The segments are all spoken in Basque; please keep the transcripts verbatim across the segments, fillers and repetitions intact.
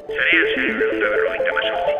Zarean zer berrehun eta berrogeita hemezortzi.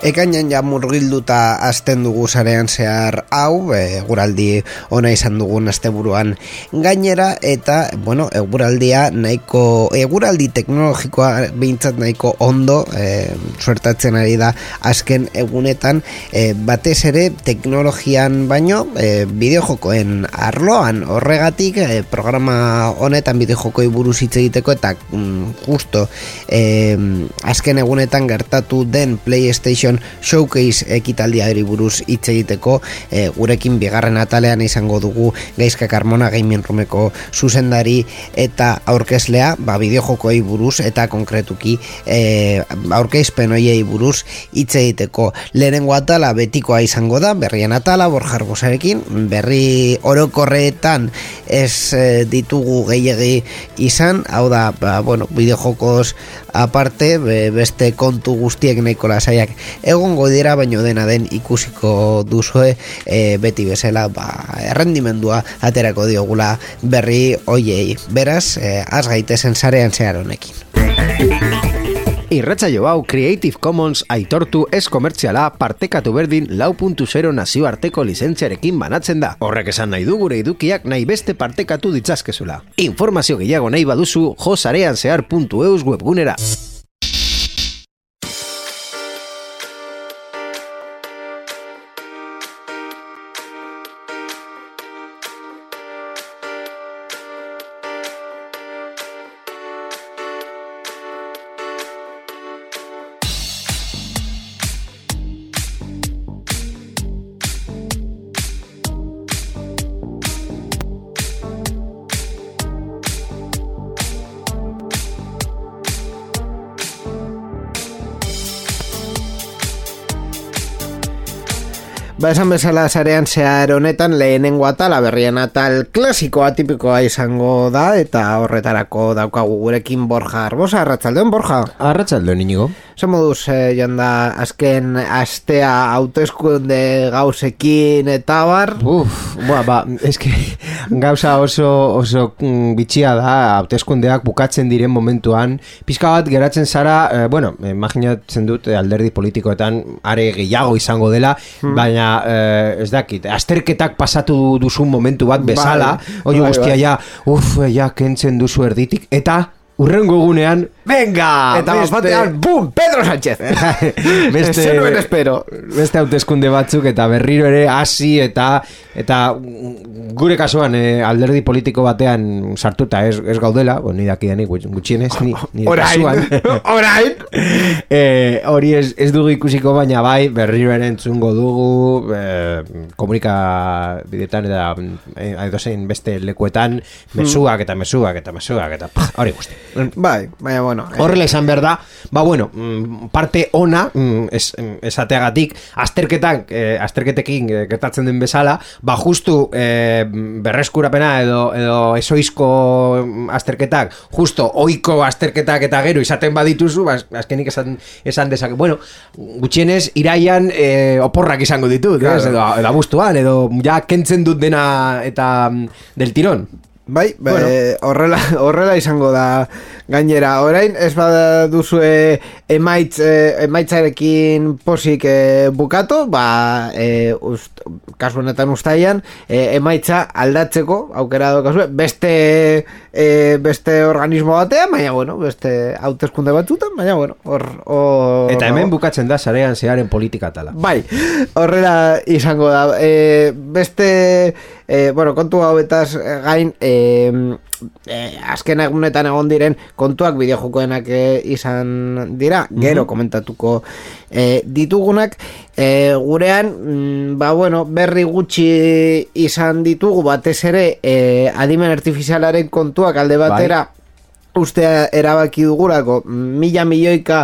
Ekainan ja murgilduta azten dugu zarean zehar hau, eguraldi ona izan dugun asteburuan gainera, eta, bueno, eguraldia nahiko, eguraldi teknologikoa behintzat nahiko ondo e, suertatzen ari da azken egunetan, e, batez ere teknologian baino, e, bideojokoen arloan, horregatik e, programa honetan bideojokoi buruz hitz egiteko, eta mm, justo e, azken egunetan gertatu den PlayStation Showcase ekitaldiari buruz hitz egiteko, e, gurekin bigarren atalean izango dugu Gaizka Carmona Gaming Roomeko zuzendari eta aurkezlea, ba bideojokoei buruz eta konkretuki e, aurkezpen hoiei buruz hitz egiteko. Lehenengo atala betikoa izango da, berrien atala Borja Arbosarekin, berri orokorretan ez e, ditugu gehiegi izan, hau da, ba, bueno, bideojokos aparte, be, beste kontu guztiek nahiko lasaiak egongo dira, baino dena den ikusiko duzue, e, beti bezala, ba, errendimendua aterako diogula berri hoiei. Beraz, e, az gaitezen zarean zehar honekin. Irratsaio hau Creative Commons aitortu ez komertziala partekatu berdin lau puntu zero nazioarteko lizentziarekin banatzen da. Horrek esan nahi du gure edukiak nahi beste partekatu ditzazkezula. Informazio gehiago nahi baduzu jo zareanzehar puntu eus webgunera. Ba, esan bezala zarean zehar honetan lehenengo atala, berrien atal klasikoa tipikoa izango da, eta horretarako daukagu gurekin Borja Arbosa. Arratsaldeon, Borja. Arratsaldeon, Inigo. Zer moduz, eh, joan da azken astea hauteskunde gauzekin eta bar? Uf, ba, ba, eske gauza oso, oso mm, bitxia da, hauteskundeak bukatzen diren momentuan, pizka bat geratzen zara, eh, bueno, imaginatzen dut alderdi politikoetan are gehiago izango dela, hmm. baina eh, ez dakit, azterketak pasatu duzun momentu bat bezala, bai, oi guztia ja, uf, ja, kentzen duzu erditik, eta urrengo gunean, venga! Eta beste... batean, bum, Pedro Sánchez! beste, Zenuen espero. Beste hauteskunde batzuk eta berriro ere hasi eta eta gure kasuan eh, alderdi politiko batean sartuta ez, ez gaudela, bon, ni dakidanik gutxienez, ni, ni orain, orain! eh, hori ez, ez dugu ikusiko, baina bai, berriro ere entzungo dugu, eh, komunikabideetan eta eh, edozein beste lekuetan, mezuak eta mezuak eta mezuak eta pah, hori guzti. Bai, baina bueno. Horrela izan behar da, ba bueno, parte ona, es, esateagatik, azterketak, eh, azterketekin gertatzen den bezala, ba justu eh, berreskurapena edo, edo esoizko azterketak, justo oiko azterketak eta gero izaten badituzu, ba, azkenik esan, esan dezak, bueno, gutxienez iraian eh, oporrak izango ditut, claro. ez, edo, edo abuztuan, edo ja kentzen dut dena eta del tirón. Bai, bueno. be, horrela, horrela izango da gainera. Orain, ez bada duzue emaitz, emaitzarekin posik e, bukatu, ba, e, ust, kasu honetan ustaian, e, emaitza aldatzeko, aukera daukazue, beste, e, beste organismo batean, baina, bueno, beste hauteskunde batzutan, baina, bueno, hor... Or, eta hemen bukatzen da zarean zeharen politika tala. Bai, horrela izango da. E, beste... E, bueno, kontu hauetaz gain e, e, azken egunetan egon diren kontuak bideojokoenak e, izan dira, gero mm-hmm. komentatuko e, ditugunak e, gurean, mm, ba bueno, berri gutxi izan ditugu, batez ere e, adimen artifizialaren kontuak alde batera bai. Ustea erabaki dugulako, mila milioika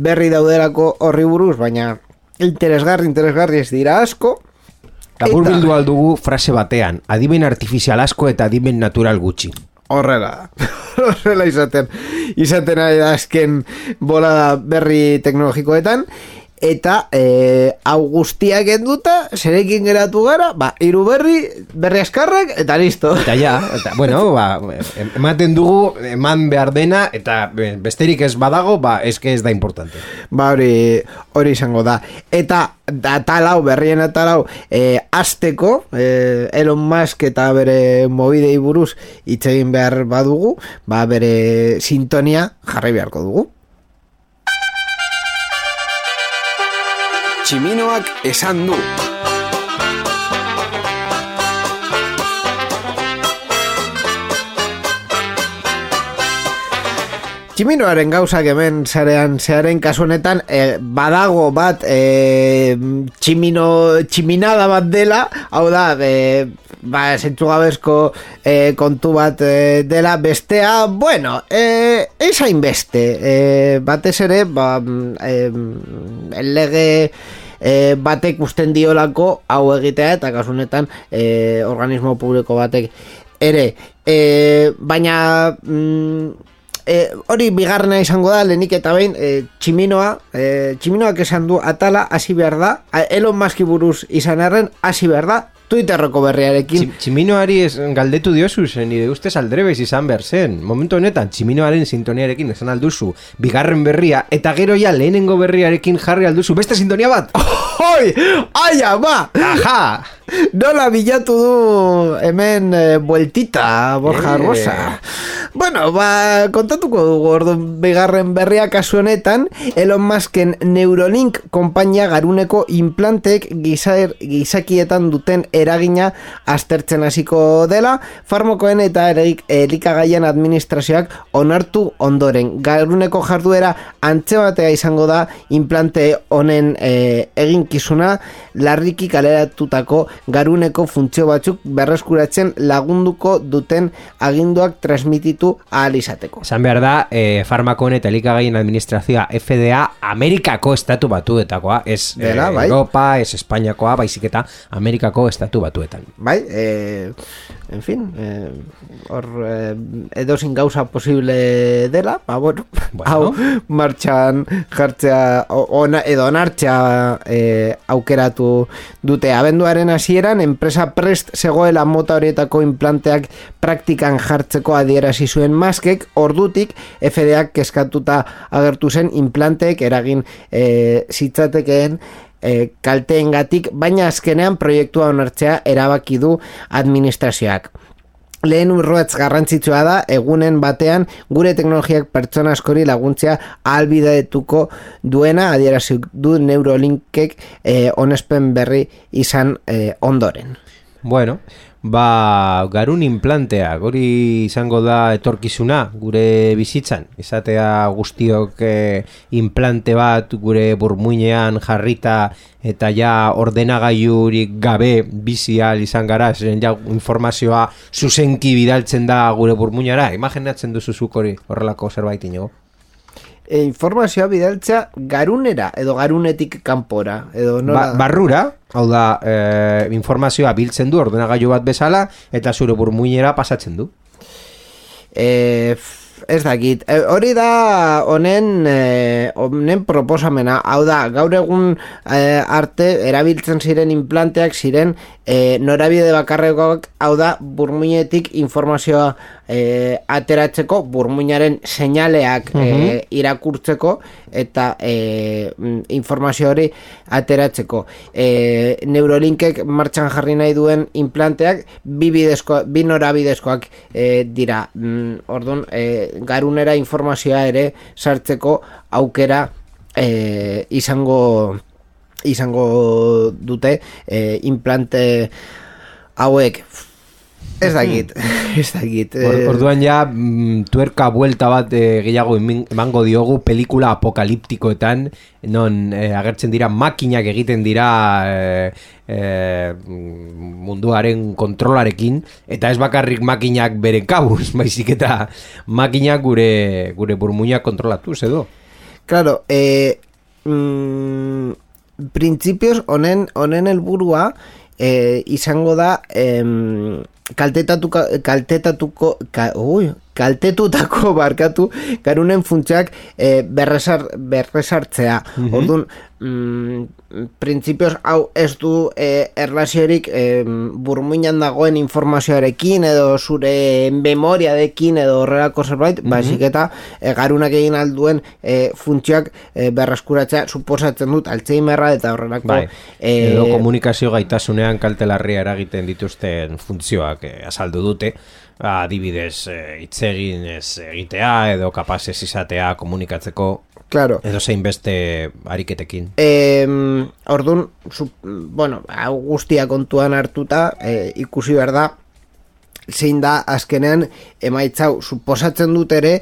berri dauderako horri buruz, baina interesgarri, interesgarri ez dira asko. Laburbildu aldugu frase batean, adimen artifizial asko eta adimen natural gutxi. Horrela, horrela izaten, izaten ari da azken bolada berri teknologikoetan, eta e, hau guztiak enduta, zerekin geratu gara, ba, hiru berri, berri askarrak, eta listo. Eta ja, eta, bueno, ba, ematen dugu, eman behar dena, eta besterik ez badago, ba, eske ez da importante. Ba, hori, hori izango da. Eta, atalau, berrien atalau, e, azteko, e, Elon Musk eta bere mobidei buruz hitz egin behar badugu, ba, bere sintonia jarri beharko dugu. Tximinoak esan du. Tximinoaren gauzak hemen zarean zearen kasu honetan e, badago bat e, tximino, tximinada bat dela, hau da, e, ba, zentzugabezko e, kontu bat e, dela, bestea, bueno, e, ez hainbeste, e, batez ere, ba, e, lege e, batek usten diolako hau egitea, eta kasu honetan e, organismo publiko batek ere, e, baina... Mm, E, hori bigarrena izango da, lehenik eta behin e, tximinoa, e, tximinoak esan du atala hasi behar da, Elon Muski buruz izan erren hasi behar da, Twitterroko berriarekin. Tximinoari ez, galdetu diozu zen, nire ustez aldrebez izan behar zen. Momentu honetan, tximinoaren sintoniarekin esan alduzu, bigarren berria, eta gero ja lehenengo berriarekin jarri alduzu, beste sintonia bat! Hoi! Aia, ba! Aha! Nola bilatu du hemen e, bueltita, Borja eh. Rosa. Bueno, ba, kontatuko dugu ordu bigarren berria kasu honetan, Elon Musken Neuralink konpainia garuneko implantek gizaer, gizakietan duten eragina aztertzen hasiko dela, farmakoen eta elikagaien administrazioak onartu ondoren. Garuneko jarduera antze batea izango da implante honen e, eginkizuna, larriki kaleratutako garuneko funtzio batzuk berreskuratzen lagunduko duten aginduak transmititu ahal izateko. Esan behar da, e, farmakoen eta elikagaien administrazioa F D A Amerikako estatu batuetakoa, ez Dela, e, bai? Europa, ez Espainiakoa, baizik eta Amerikako estatu batuetan. Bai, e, en fin, e, hor e, edozin gauza posible dela, ba, bueno, Bueno. hau martxan jartzea, ona, edo onartzea e, aukeratu dute. Abenduaren hasieran enpresa prest zegoela mota horietako implanteak praktikan jartzeko adierazi zuen Muskek, ordutik F D Ak kezkatuta agertu zen implanteek eragin e, zitzatekeen e, kalteengatik, baina azkenean proiektua onartzea erabaki du administrazioak. Lehen urratz garrantzitsua da, egunen batean gure teknologiak pertsona askori laguntzea ahalbidetuko duena, adierazi du Neuralinkek e, onespen berri izan e, ondoren. Bueno, ba, garun implantea, hori izango da etorkizuna gure bizitzan, izatea guztiok e, implante bat gure burmuinean jarrita eta ja ordenagailurik gabe bizi ahal izan gara, zen ja informazioa zuzenki bidaltzen da gure burmuinara, imaginatzen duzuzuk hori horrelako zerbait inigo? E, informazioa bidaltzea garunera edo garunetik kanpora edo nola... Ba, barrura, hau da, e, informazioa biltzen du ordenagailu bat bezala eta zure burmuinera pasatzen du. E, ez dakit, e, hori da honen e, honen proposamena, hau da, gaur egun e, arte erabiltzen ziren implanteak ziren e, norabide bakarrekoak, hau da, burmuinetik informazioa e, ateratzeko, burmuinaren seinaleak e, irakurtzeko eta e, informazio hori ateratzeko. E, Neuralinkek martxan jarri nahi duen implanteak bi, bidezko, bi norabidezkoak e, dira. Mm, orduan, e, garunera informazioa ere sartzeko aukera e, izango izango dute e, implante hauek. Ez dakit, ez dakit. Or, orduan ja, mm, tuerka buelta bat e, gehiago emango diogu pelikula apokaliptikoetan, non e, agertzen dira makinak egiten dira e, e, munduaren kontrolarekin, eta ez bakarrik makinak beren kabuz, baizik eta makinak gure, gure burmuinak kontrolatuz edo. Claro, e, mm, printzipioz honen honen helburua e, izango da em, kaltetatuko, kaltetatuko ka, ui, kaltetutako barkatu garunen funtsiak e, berresar, berresartzea. Mm-hmm. Orduan, mm, printzipioz hau ez du e, erlaziorik e, burmuinan dagoen informazioarekin edo zure memoriarekin edo horrelako zerbait, mm-hmm. baizik eta e, garunak egin alduen e, funtzioak e, berreskuratzea suposatzen dut Alzheimerra eta horrelako bai. e, edo komunikazio gaitasunean kaltelarria eragiten dituzten funtzioak e, azaldu dute. Adibidez, hitz egin ez egitea edo kapaz ez izatea komunikatzeko, claro. Edo zein beste ariketekin. E, Orduan, su, bueno, hau guztia kontuan hartuta, e, ikusi behar da, zein da azkenean emaitzau suposatzen dut ere,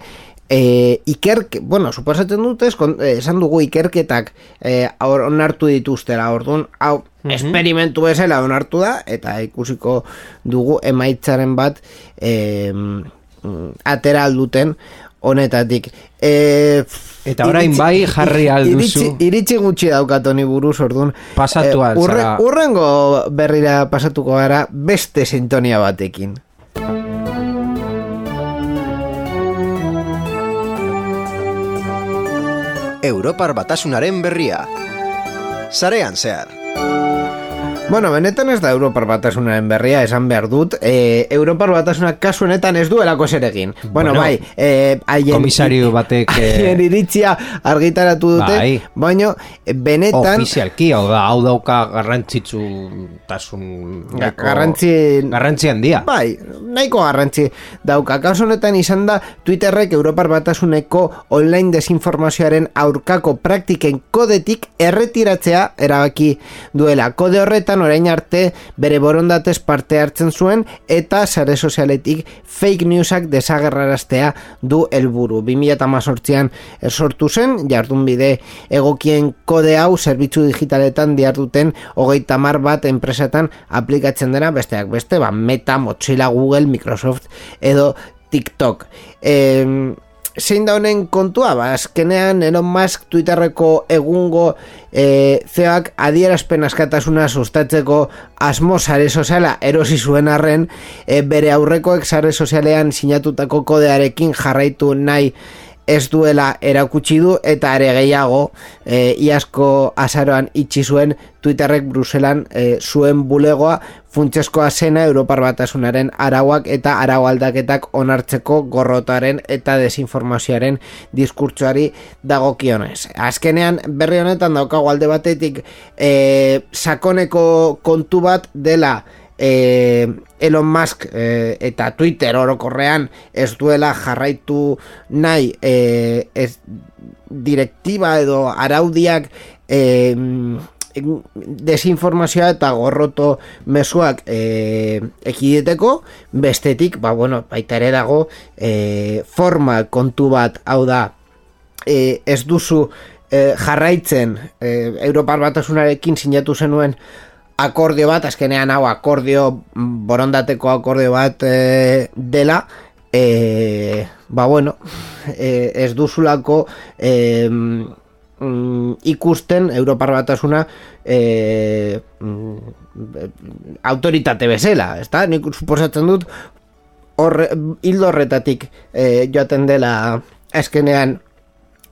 E, ikerke, bueno, suposatzen dut ez, esan dugu ikerketak e, onartu dituztela, orduan, hau, mm-hmm. esperimentu bezala onartu da, eta ikusiko dugu emaitzaren bat e, atera alduten honetatik. E, eta orain bai jarri alduzu. Iritsi, iritsi gutxi daukatoni buruz, orduan. Pasatu e, urre, alzara. Urrengo berrira pasatuko gara beste sintonia batekin. Europar Batasunaren berria. Sarean zehar. Bueno, benetan ez da Europar Batasunaren berria, esan behar dut. E, Europar Batasunak kasu honetan ez duelako zer egin. Bueno, bueno bai, e, haien, komisario batek haien iritzia argitaratu dute, bai. Baina benetan... Ofizialki, hau da, hau dauka garrantzitsu tasun... Garrantzi... Garrantzi handia. Bai, nahiko garrantzi dauka. Kasu honetan izan da Twitterrek Europar Batasuneko online desinformazioaren aurkako praktiken kodetik erretiratzea erabaki duela. Kode horretan orain arte bere borondatez parte hartzen zuen eta sare sozialetik fake newsak desagerraraztea du helburu. bi mila hemezortzian sortu zen, jardunbide egokien kode hau zerbitzu digitaletan diharduten hogeita hamar bat enpresetan aplikatzen dena, besteak beste, ba, Meta, Mozilla, Google, Microsoft edo TikTok. Eh, zein da honen kontua? Ba, azkenean Elon Musk Twitterreko egungo e, C E Oak adierazpen askatasuna sustatzeko asmo sare soziala erosi zuen arren, e, bere aurrekoek sare sozialean sinatutako kodearekin jarraitu nahi ez duela erakutsi du, eta ere gehiago e, iazko azaroan itxi zuen Twitterrek Bruselan e, zuen bulegoa funtsezkoa zena Europar Batasunaren arauak eta arau aldaketak onartzeko gorrotaren eta desinformazioaren diskurtsoari dagokionez. Azkenean berri honetan daukago alde batetik e, sakoneko kontu bat dela E, Elon Musk e, eta Twitter orokorrean ez duela jarraitu nahi e, ez, direktiba edo araudiak e, desinformazioa eta gorroto mezuak e, ekideteko, bestetik, ba bueno, baita ere dago e, forma kontu bat, hau da, e, ez duzu e, jarraitzen e, Europar Batasunarekin sinatu zenuen akordio bat, azkenean hau akordio, borondateko akordio bat e, dela, e, ba bueno, e, ez duzulako e, mm, ikusten Europar Batasuna e, mm, autoritate bezala, ezta? Nik suposatzen dut horre, hildo horretatik e, joaten dela azkenean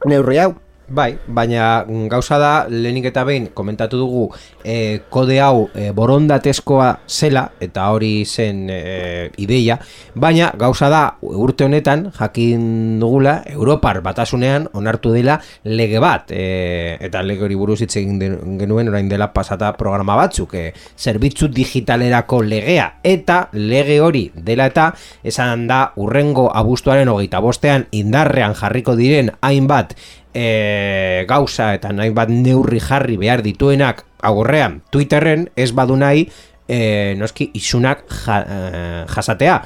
neurri hau. Bai, baina gauza da, lehenik eta behin komentatu dugu e, kode hau e, borondatezkoa zela, eta hori zen e, ideia, baina gauza da, urte honetan jakin dugula Europar Batasunean onartu dela lege bat, e, eta lege hori buruz hitz egin genuen orain dela pasata programa batzuk, e, zerbitzu digitalerako legea, eta lege hori dela eta esan da urrengo abuztuaren hogeita bostean indarrean jarriko diren hainbat E, gauza eta nahi bat neurri jarri behar dituenak agorrean Twitterren ez badu nahi e, noski isunak ja, e, jasatea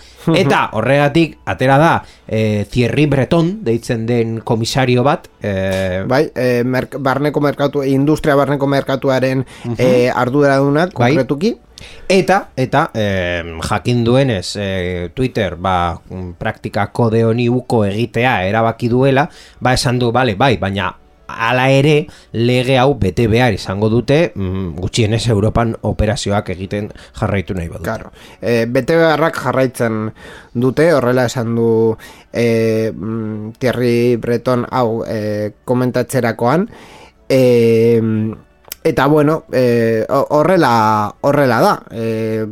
eta horregatik atera da e, Thierry Breton deitzen den komisario bat e, bai, e, merk, barneko merkatu industria barneko merkatuaren uh-huh. e, arduradunak konkretuki bai. Eta, eta eh, jakin duenez eh, Twitter ba, praktika kode honi uko egitea erabaki duela, ba esan du, bale, bai, baina hala ere lege hau bete behar izango dute, mm, gutxienez Europan operazioak egiten jarraitu nahi badute. Claro. E, bete beharrak jarraitzen dute, horrela esan du e, Thierry Breton hau e, komentatzerakoan, e, eta bueno, e, horrela horrela da. E,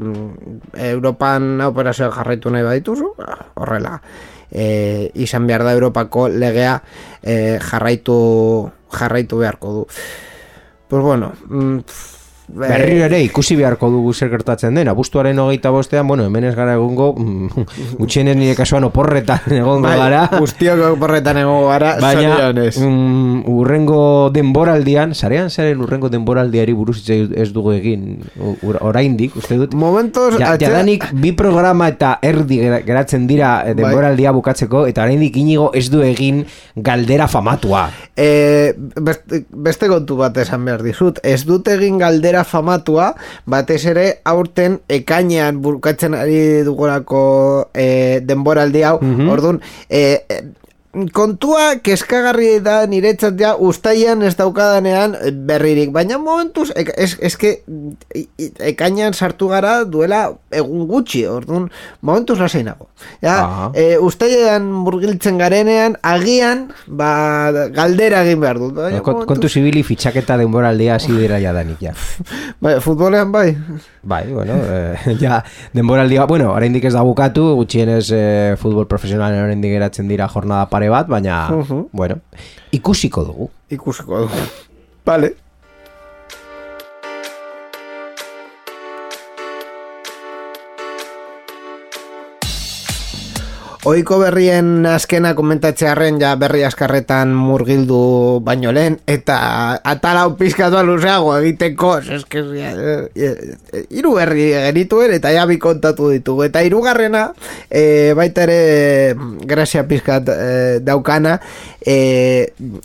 Europan operazioak jarraitu nahi badituzu, horrela e, izan behar da Europako legea e, jarraitu jarraitu beharko du. Pues bueno, mm, berriro ere ikusi beharko dugu zer gertatzen den. Abuztuaren hogeita bostean, bueno, hemen ez gara egongo, gutxienez nire kasuan oporretan egongo bai, gara. Guztiok oporretan egongo gara, baina um, urrengo denboraldian, sarean zaren urrengo denboraldiari buruz ez dugu egin oraindik, uste dut. Momentos, ja, atxe... jadanik bi programa eta erdi geratzen dira denboraldia bukatzeko, eta oraindik Inigo ez du egin galdera famatua. E, beste, beste kontu bat esan behar dizut, ez dut egin galdera famatua, batez ere aurten ekainean bukatzen ari dugorako e, denboraldi hau, mm-hmm. Orduan, e, e, kontua keskagarri da niretzat ja ustaian ez daukadanean berririk, baina momentuz ez, eske ekainean sartu gara duela egun gutxi, orduan momentuz lasainago. Ja, e, ustaian murgiltzen garenean agian ba, galdera egin behar dut. Baina, Kont, kontu zibili fitxaketa denboraldia hasi dira jadanik, ja. Bai, futbolean bai. Bai, bueno, eh, ja, denboraldia, bueno, oraindik ez da bukatu, gutxienez eh, futbol profesionalen oraindik geratzen dira jornada pare bat, baina, uh-huh. bueno, ikusiko dugu. Ikusiko dugu. Vale. Oiko berrien azkena komentatzearen ja berri askarretan murgildu baino lehen, eta atalau pizkatu luzeago egiteko, eske hiru berri genituen eta ja bi kontatu ditugu, eta hirugarrena e, baita ere grazia pizkat e, daukana, e,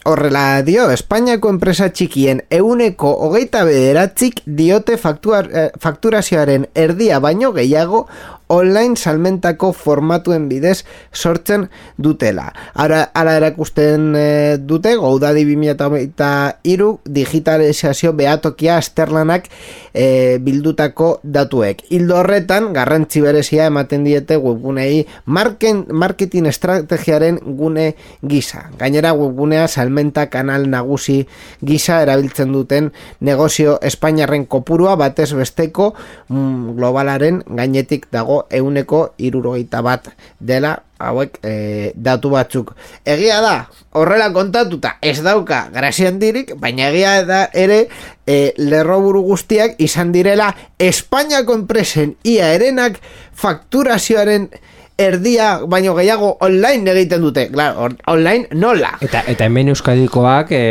horrela dio, Espainiako enpresa txikien euneko hogeita bederatzik diote faktuar, e, fakturazioaren erdia baino gehiago online salmentako formatuen bidez sortzen dutela. Ara, ara erakusten e, dute Goudadi bi mila hogeita hiru digitalizazio behatokia azterlanak e, bildutako datuek. Hildo horretan garrantzi berezia ematen diete webgunei marken, marketing estrategiaren gune gisa. Gainera webgunea salmenta kanal nagusi gisa erabiltzen duten negozio espainiarren kopurua batez besteko mm, globalaren gainetik dago euneko hirurogeita bat dela hauek e, datu batzuk. Egia da, horrela kontatuta ez dauka grazia handirik, baina egia da ere e, lerroburu guztiak izan direla Espainiako enpresen ia erenak fakturazioaren erdia baino gehiago online egiten dute. Claro, on, online nola. Eta, eta hemen euskadikoak e,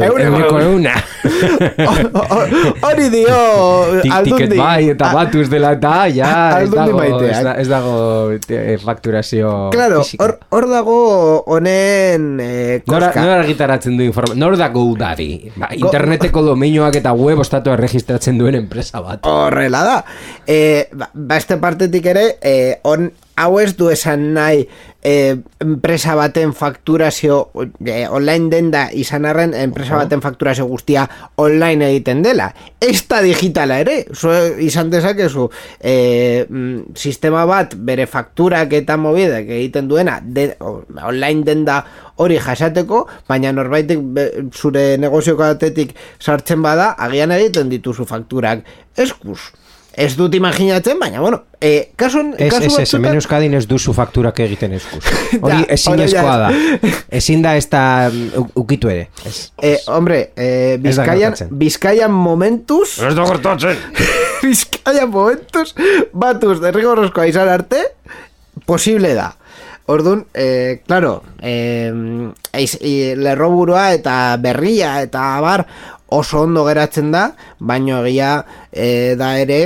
euneko euna. Hori dio aldundi. Ticket bai eta batuz dela eta ja ez dago, ez, da, ez dago e, fakturazio claro, fisika. Hor, hor dago honen e, koska. Nora argitaratzen du informazio. Nor da Goudadi? Ba, interneteko domeinoak eta web ostatu erregistratzen duen enpresa bat. Horrela da. E, ba, beste partetik ere, e, on hau ez du esan nahi e, enpresa baten fakturazio e, online denda izan arren enpresa baten fakturazio guztia online egiten dela. Ez da digitala ere, so, izan dezakezu e, mm, sistema bat bere fakturak eta mobidak egiten duena de, online denda hori jasateko, baina norbaitek be, zure negozioko batetik sartzen bada, agian egiten dituzu fakturak eskuz. Ez dut imaginatzen, baina, bueno, e, kasun, ez, kasu ez, ez, hemen euskadin ez duzu fakturak egiten eskuz. Hori ezin ezkoa da. Ezin da ez da ukitu ere. Ez, e, hombre, e, Bizkaian, Bizkaian momentuz... Ez da gertatzen! Bizkaian momentuz, batuz derrigorrozkoa izan arte, posible da. Orduan, eh, claro, eh, lerroburua eta berria eta bar oso ondo geratzen da, baino egia e, da ere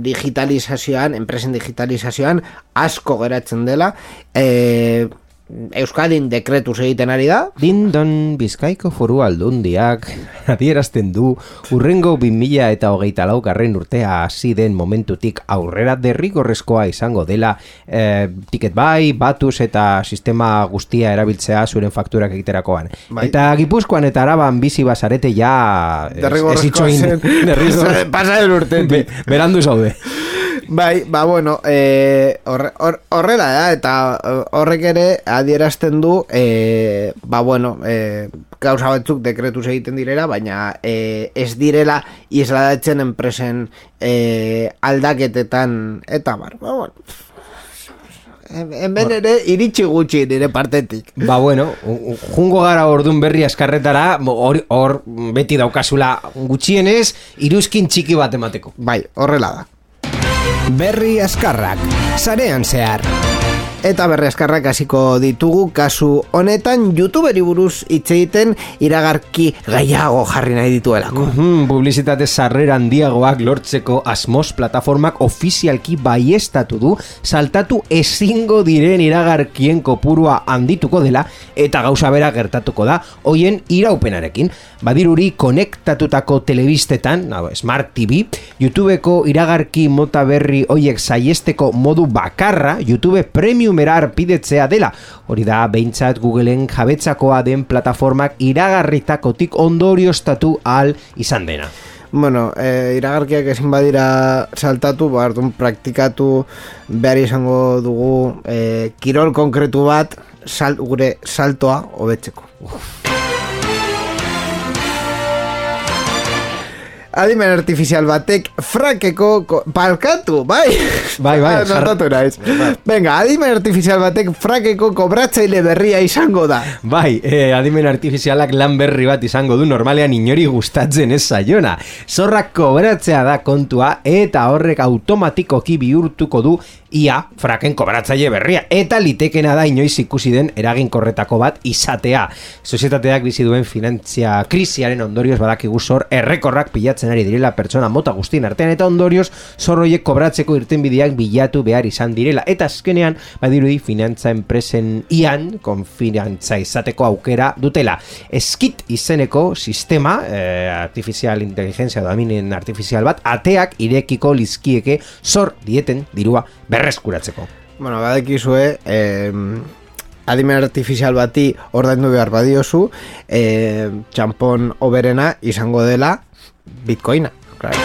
digitalizazioan, enpresen digitalizazioan asko geratzen dela, e, Euskadin dekretuz egiten ari da. Dindon Bizkaiko Foru Aldundiak adierazten du urrengo bi mila eta hogeita lau garren urtea hasi den momentutik aurrera derrigorrezkoa izango dela eh, ticket bai, batuz eta sistema guztia erabiltzea zuren fakturak egiterakoan. Bai. Eta Gipuzkoan eta Araban bizi bazarete ja derrigorrezkoa zen. Pasa den urtetik. Be, berandu zaude. Bai, ba bueno, eh, horre, hor, horrela da, eta horrek ere adierazten du, eh, ba bueno, eh, gauza batzuk dekretuz egiten direla, baina eh, ez direla isladatzen enpresen eh, aldaketetan, eta bar, ba bueno, hemen ere iritsi gutxi nire partetik. Ba bueno, jungo gara ordun berri askarretara, hor, hor beti daukazula gutxienez, iruzkin txiki bat emateko. Bai, horrela da. Berri askarrak, sarean zehar. Eta berri askarrak hasiko ditugu kasu honetan YouTuberi buruz hitz egiten iragarki gehiago jarri nahi dituelako. Mm-hmm, publizitate sarrera handiagoak lortzeko asmoz plataformak ofizialki baiestatu du saltatu ezingo diren iragarkien kopurua handituko dela eta gauza bera gertatuko da hoien iraupenarekin. Badiruri konektatutako telebistetan, no, Smart T V, YouTubeko iragarki mota berri hoiek saiesteko modu bakarra YouTube Premiumera arpidetzea dela. Hori da behintzat Googleen jabetzakoa den plataformak iragarritakotik ondorioztatu ahal izan dena. Bueno, eh, iragarkiak ezin badira saltatu, bardun praktikatu behar izango dugu eh, kirol konkretu bat sal, gure saltoa hobetzeko. Adimen artifizial batek frakeko ko, palkatu, bai? Bai, bai. Notatu naiz. Venga, adimen artifizial batek frakeko kobratzaile berria izango da. Bai, eh, adimen artifizialak lan berri bat izango du normalean inori gustatzen ez zaiona. Zorrak kobratzea da kontua eta horrek automatikoki bihurtuko du ia fraken kobratzaile berria. Eta litekena da inoiz ikusi den eraginkorretako bat izatea. Sozietateak bizi duen finantzia krisiaren ondorioz badakigu zor errekorrak pilatzen ari direla pertsona mota guztien artean eta ondorioz zorroiek kobratzeko irtenbideak bilatu behar izan direla eta azkenean badirudi finantza enpresen ian konfinantza izateko aukera dutela. Skit izeneko sistema eh, artifizial inteligentzia dominen artifizial bat ateak irekiko lizkieke zor dieten dirua berreskuratzeko. Bueno, badakizue eh, adimen artifizial bati ordaindu behar badiozu eh, txampon oberena izango dela Bitcoina, claro.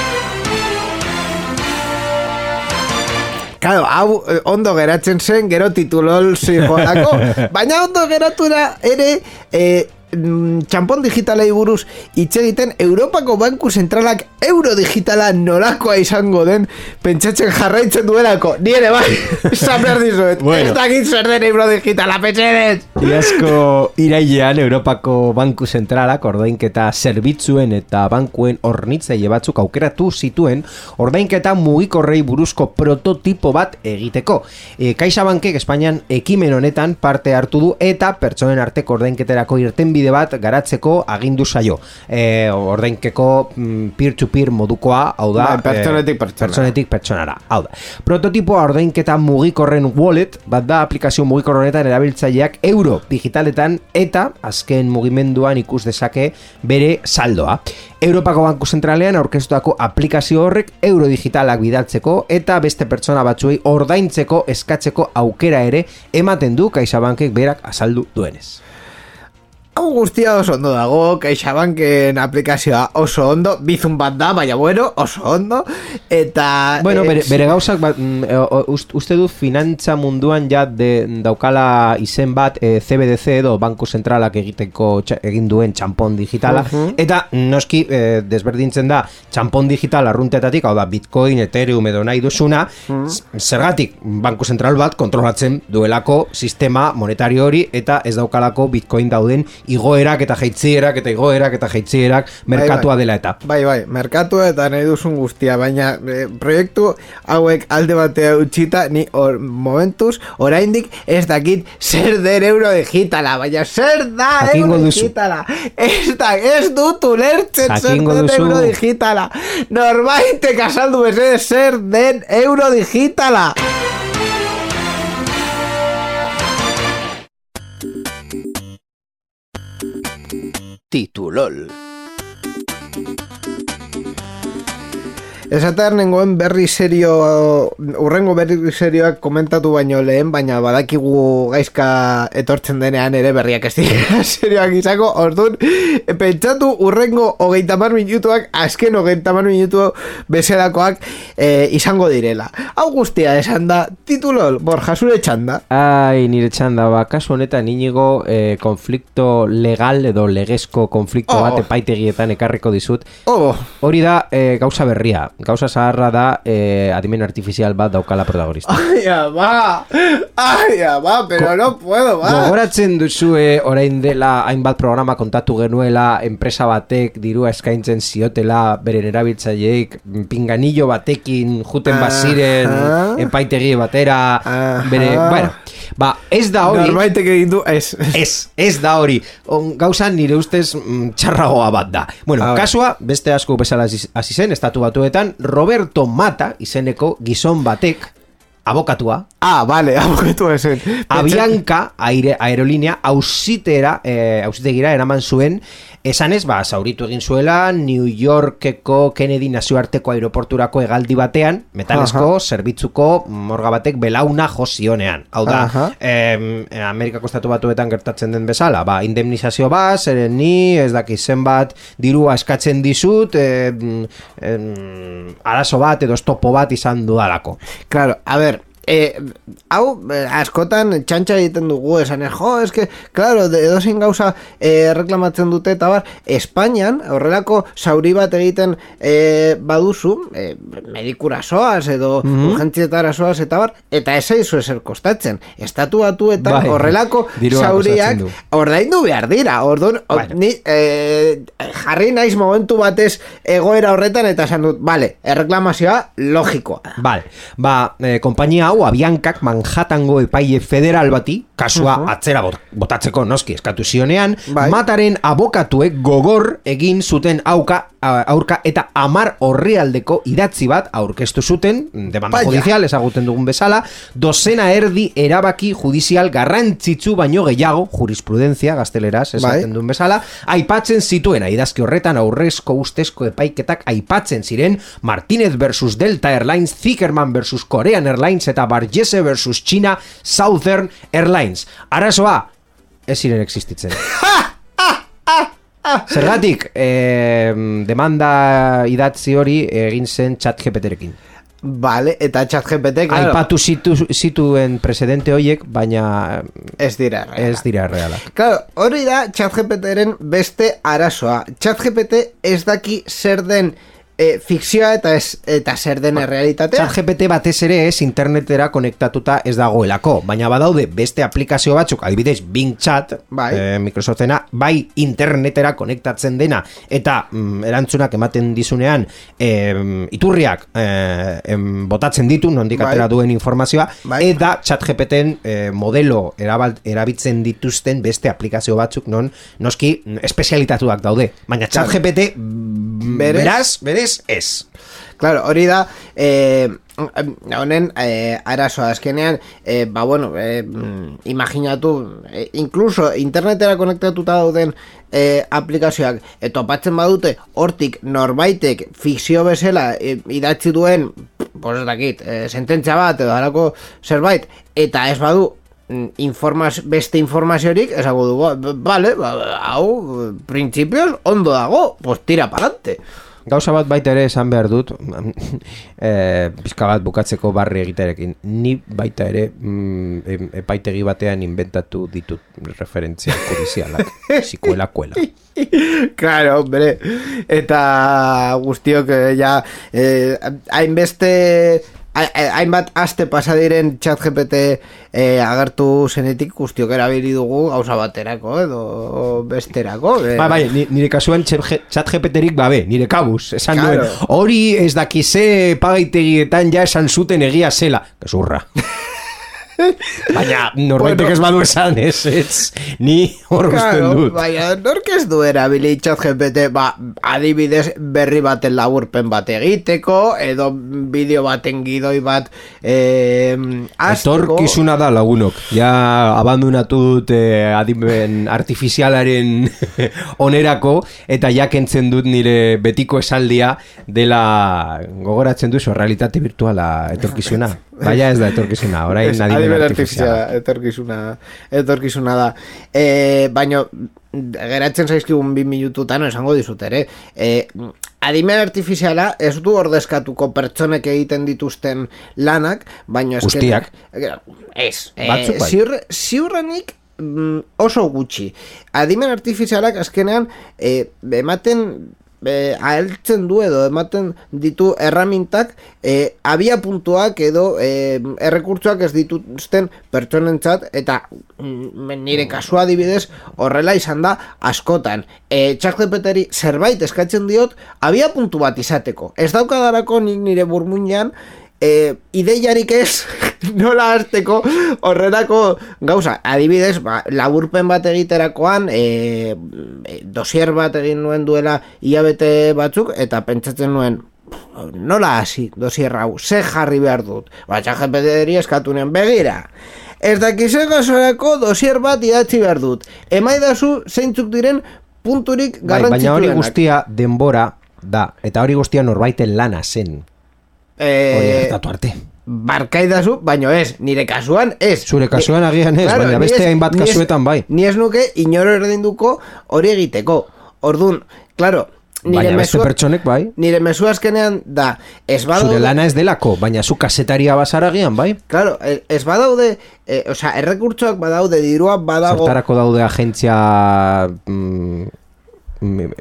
Claro, hau ondo geratzen zen gero titulol zijoalako, baina ondo geratu da ere eh, txampon digitalei buruz hitz egiten Europako Banku Zentralak euro digitala nolakoa izango den pentsatzen jarraitzen duelako. Ni ere bai, esan behar dizuet. Bueno. Ez dakit zer den euro digitala, petxedet. Iazko irailean Europako Banku Zentralak ordainketa zerbitzuen eta bankuen hornitzaile batzuk aukeratu zituen ordainketa mugikorrei buruzko prototipo bat egiteko. E, CaixaBankek Espainian ekimen honetan parte hartu du eta pertsonen arteko ordainketerako irtenbide bat garatzeko agindu zaio. E, ordainkeko mm, peer-to-peer modukoa, hau da, Ba, pertsonetik e, pertsonara. pertsonetik pertsonara. Hau da. Prototipoa ordainketa mugikorren wallet, bat da aplikazio mugikor honetan erabiltzaileak euro digitaletan eta azken mugimenduan ikus dezake bere saldoa. Europako Banku Zentralean aurkeztutako aplikazio horrek euro digitalak bidaltzeko eta beste pertsona batzuei ordaintzeko eskatzeko aukera ere ematen du CaixaBankek berak azaldu duenez. Hau guztia oso ondo dago, CaixaBanken aplikazioa oso ondo, bizun bat da, baina bueno, oso ondo, eta... Bueno, eh, bere, bere gauzak, bat, uste du finantza munduan ja de, daukala izen bat e, C B D C edo Banku Zentralak egiteko txa, egin duen txampon digitala, uh-huh. Eta noski e, desberdintzen da txampon digital arruntetatik, hau da Bitcoin, Ethereum edo nahi duzuna, uh-huh. Zergatik Banku Zentral bat kontrolatzen duelako sistema monetario hori eta ez daukalako Bitcoin dauden igoerak eta jaitzierak eta igoerak eta jaitzierak merkatua bai, bai. dela eta. Bai, bai, merkatua eta nahi duzun guztia, baina e, proiektu hauek alde batea utxita, ni or, momentuz, oraindik ez dakit zer den euro digitala, baina zer da Jakingo euro duzu. digitala. Ez da, ez dut ulertzen zer Jakingo den duzu. euro digitala. Norbaitek azaldu bezede zer den euro digitala. Titulol. Esatean nengoen berri serio, urrengo berri serioak komentatu baino lehen, baina badakigu gaizka etortzen denean ere berriak ez dira serioak izako, orduan, pentsatu urrengo hogeita hamar minutuak, azken hogeita hamar minutu bezalakoak e, izango direla. Hau guztia esan da, Titulol, Borja, zure txanda. Ai, nire txanda, ba, kasu honetan inigo eh, konflikto legal edo legezko konflikto Oh. bat epaitegietan ekarriko dizut. Oh, Hori da eh, gauza berria. Gauza zaharra da eh, adimen artifizial bat daukala protagonista. ai, ama, ai, ama, pero Ko- no puedo, ba. Gogoratzen duzue orain dela hainbat programa kontatu genuela enpresa batek dirua eskaintzen ziotela beren erabiltzaileek pinganillo batekin juten baziren Aha. epaitegi batera Aha. bere, bueno, ba, ez da hori. Norbaitek egin du, ez. Ez, ez da hori. On, gauza nire ustez mm, txarragoa bat da. Bueno, A ver. kasua, beste asko bezala hasi hasi zen, estatu batuetan, Roberto Mata izeneko gizon batek, abokatua, Ah, vale, aboketu esen. Avianca aire, aerolinea ausitera, eh, ausitegira eraman zuen, esanez, ba, zauritu egin zuela New Yorkeko Kennedy nazioarteko aeroporturako hegaldi batean, metalezko zerbitzuko morga batek belauna jozionean. Hau da, Aha. eh, Amerikako estatu batuetan gertatzen den bezala, ba, indemnizazio bat, zeren ni, ez daki zenbat dirua eskatzen dizut, eh, eh, arazo bat edo estopo bat izan dudalako. Claro, a ver, eh, hau, eh, askotan txantxa egiten dugu esan, jo, eske, claro, de- edozein gauza eh, reklamatzen dute, eta bar, Espainian, horrelako zauri bat egiten eh, baduzu, eh, medikura soaz, edo urgentzietara soaz, eta bar, eta ez zaizu ezer kostatzen. Estatu batuetan Bai, horrelako dirua zauriak kostatzen du. ordaindu behar dira, orduan, o- Bueno. ni eh, jarri naiz momentu batez egoera horretan, eta esan dut, vale, erreklamazioa logikoa. Vale, ba, eh, konpainia hau Aviancak Manhattango epaile federal bati, kasua atzera bot- botatzeko noski eskatu zionean, Bai. Mataren abokatuek gogor egin zuten auka, a- aurka eta amar orrialdeko idatzi bat aurkeztu zuten, demanda Vaya. judizial ezaguten dugun bezala, dozena erdi erabaki judizial garrantzitsu baino gehiago, jurisprudentzia gazteleraz esaten Bai. duen bezala, aipatzen zituena idazki horretan aurrezko ustezko epaiketak aipatzen ziren Martínez versus Delta Airlines, Zickerman versus Korean Airlines eta Bargese versus China Southern Airlines. Arazoa, ez ziren existitzen. Zergatik, eh, demanda idatzi hori egin zen ChatGPTrekin. Vale, eta ChatGPT, claro, Aipatu zitu, zituen presidente hoiek, baina ez dira. ez dira realak. Claro, hori da ChatGPTren beste arazoa. ChatGPT ez daki zer den e, fikzioa eta ez, eta zer den errealitatea. ChatGPT batez ere ez internetera konektatuta ez dagoelako, baina badaude beste aplikazio batzuk, adibidez Bing Chat, Bai. eh, Microsoftena, bai internetera konektatzen dena, eta mm, erantzunak ematen dizunean eh, iturriak eh, em, botatzen ditu, nondik Bai. atera duen informazioa, Bai. eta ChatGPTen eh, modelo erabal, erabiltzen dituzten beste aplikazio batzuk non noski mm, espezialitatuak daude, baina Claro. ChatGPT mm, Berez? beraz, berez ez. Claro, hori da eh, honen eh, arazoa azkenean, eh, ba bueno, eh, mm, imaginatu, eh, incluso internetera konektatuta dauden eh, aplikazioak eh, topatzen badute, hortik norbaitek fikzio bezala eh, idatzi duen, pues ez dakit, eh, sententzia bat edo halako zerbait, eta ez badu mm, informaz, beste informaziorik, esango dugu, vale, ba, hau, printzipioz, ondo dago, pues tira pa'lante. Gauza bat baita ere esan behar dut, e, pizka bat bukatzeko barri egiterekin. Ni baita ere mm, em- epaitegi batean inventatu ditut referentzia judizialak. Sikuela kuela. Claro, hombre. Eta guztiok eh, ja eh, hainbeste ha- hainbat aste pasa diren ChatGPT eh, agertu zenetik guztiok erabili dugu gauza baterako edo besterako. Eh. Ba, bai, ni- nire kasuan ChatGPTrik babe, nire kabuz, esan Claro. duen, hori ez dakize pagaitegietan ja esan zuten egia zela. Gezurra. Baina norbaitek ez badu esan, ez, ez, ni hor usten dut. Baina, nork ez du erabili chat G P T, ba, adibidez berri baten laburpen bat egiteko, edo bideo baten gidoi bat eh, azteko. Etorkizuna da lagunok, ja abandonatu dut eh, adimen artifizialaren onerako, eta ja kentzen dut nire betiko esaldia dela, gogoratzen duzu, realitate virtuala etorkizuna. Baina ez da etorkizuna, orain adimen artifiziala. Etorkizuna, etorkizuna da. E, baina, geratzen zaizkigun bi minututan, esango dizut ere, e, adimen artifiziala ez du ordezkatuko pertsonek egiten dituzten lanak, baina ez... Guztiak. Ez. Batzuk bai. Ziur, ziurrenik oso gutxi. Adimen artifizialak azkenean e, ematen... E, aheltzen du edo ematen ditu erramintak e, abia puntuak edo e, errekurtsoak ez dituzten pertsonentzat eta mm, nire kasua adibidez horrela izan da askotan. E, ChatGPTri zerbait eskatzen diot abia puntu bat izateko. Ez daukadarako nik nire burmuinean e, ideiarik ez nola hasteko horrelako gauza. Adibidez, ba, laburpen bat egiterakoan e, dosier bat egin nuen duela hilabete batzuk eta pentsatzen nuen nola hasi dosier hau, ze jarri behar dut. Ba, ChatGPTri eskatu nuen begira. Ez dakize gasorako dosier bat idatzi behar dut. Emaidazu zeintzuk diren punturik garrantzituenak. Baina hori guztia denbora da, eta hori guztia norbaiten lana zen. Eh, hori gertatu arte. Barkaidazu, baino ez, nire kasuan ez. Zure kasuan agian ez, claro, baina beste hainbat kasuetan bai. Ni ez nuke inoro erdinduko hori egiteko. Ordun, claro, nire baina beste mesua, pertsonek bai. Nire mesua azkenean da, ez badaude... Zure lana ez delako, baina zu kasetaria bazara agian bai. Claro, ez badaude, eh, osea, errekurtsoak badaude, dirua badago... Zertarako daude agentzia... Mm,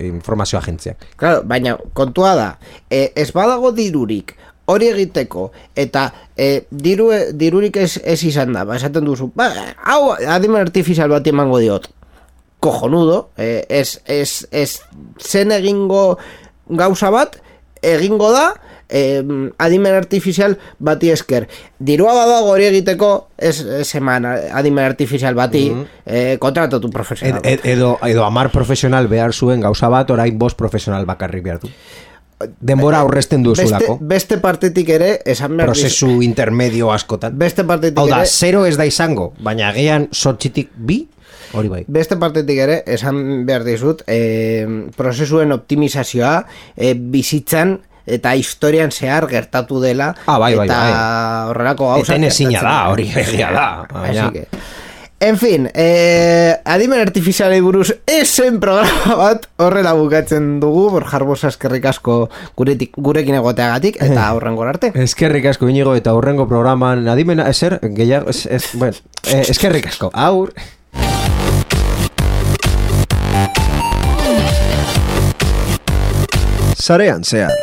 informazio agentziak. Claro, baina kontua da, eh, ez badago dirurik, hori egiteko eta e, diru, dirurik ez, ez izan da, ba, esaten duzu ba, hau adimen artifizial bat emango diot kojonudo, e, ez, ez, ez zen egingo gauza bat egingo da e, adimen artifizial bati esker. Dirua badago hori egiteko ez, ez eman adimen artifizial bati mm-hmm. e, kontratatu profesional ed, ed, edo, edo amar profesional behar zuen gauza bat, orain bost profesional bakarrik behar du. Denbora aurrezten duzulako. Beste, beste partetik ere esan behar prozesu diz... intermedio askotan. Beste partetik Hau da, ere zero ez da izango, baina agian sortxitik bi, hori bai. Beste partetik ere esan behar dizut e, prozesuen optimizazioa e, bizitzan eta historian zehar gertatu dela ah, bai, bai, eta bai. horrelako gauzak eten ezina da, hori egia da. Así que en fin, eh, adimen artifizialei buruz esen programa bat horrela bukatzen dugu, Borjar Bosa eskerrik asko guretik, gurekin egoteagatik eta aurrengo arte. Eskerrik asko Inigo eta aurrengo programan adimen eser, gehiago, es, es, bueno, eh, eskerrik asko, aur. Sarean zehar.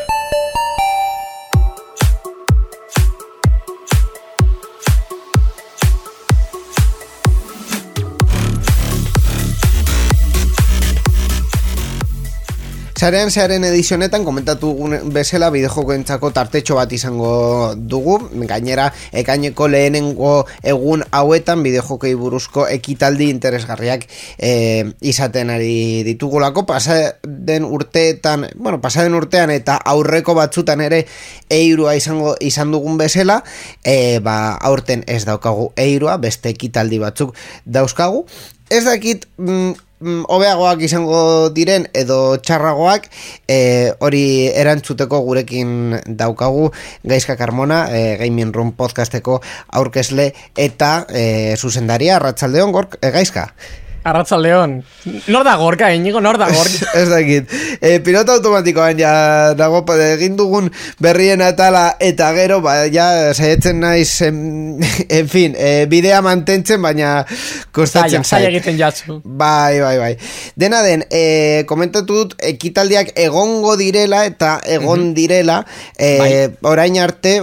Sarean zearen edizionetan komentatu bezala bideojokoentzako tartetxo bat izango dugu, gainera ekaineko lehenengo egun hauetan bideojokei buruzko ekitaldi interesgarriak e, izaten ari ditugulako, pasaden urteetan, bueno, pasaden urtean eta aurreko batzutan ere eirua izango izan dugun bezala, e, ba, aurten ez daukagu eirua, beste ekitaldi batzuk dauzkagu. Ez dakit mm, hobeagoak izango diren edo txarragoak, e, hori erantzuteko gurekin daukagu Gaizka Carmona, e, Gaming Room podcasteko aurkezle eta e, zuzendaria. Arratsaldeon, Gork, e, Gaizka. Arratsaldeon. Nor da Gorka, Inigo, nor da Gorka? Ez dakit. E, pilota automatikoan ja dago egin dugun berrien atala eta gero, ba, ja saiatzen naiz, en, en fin, e, bidea mantentzen, baina kostatzen zait. Zaila egiten jatzu. Bai, bai, bai. Dena den, e, komentatu dut, ekitaldiak egongo direla eta egon mm-hmm. direla, e, bai. Orain arte,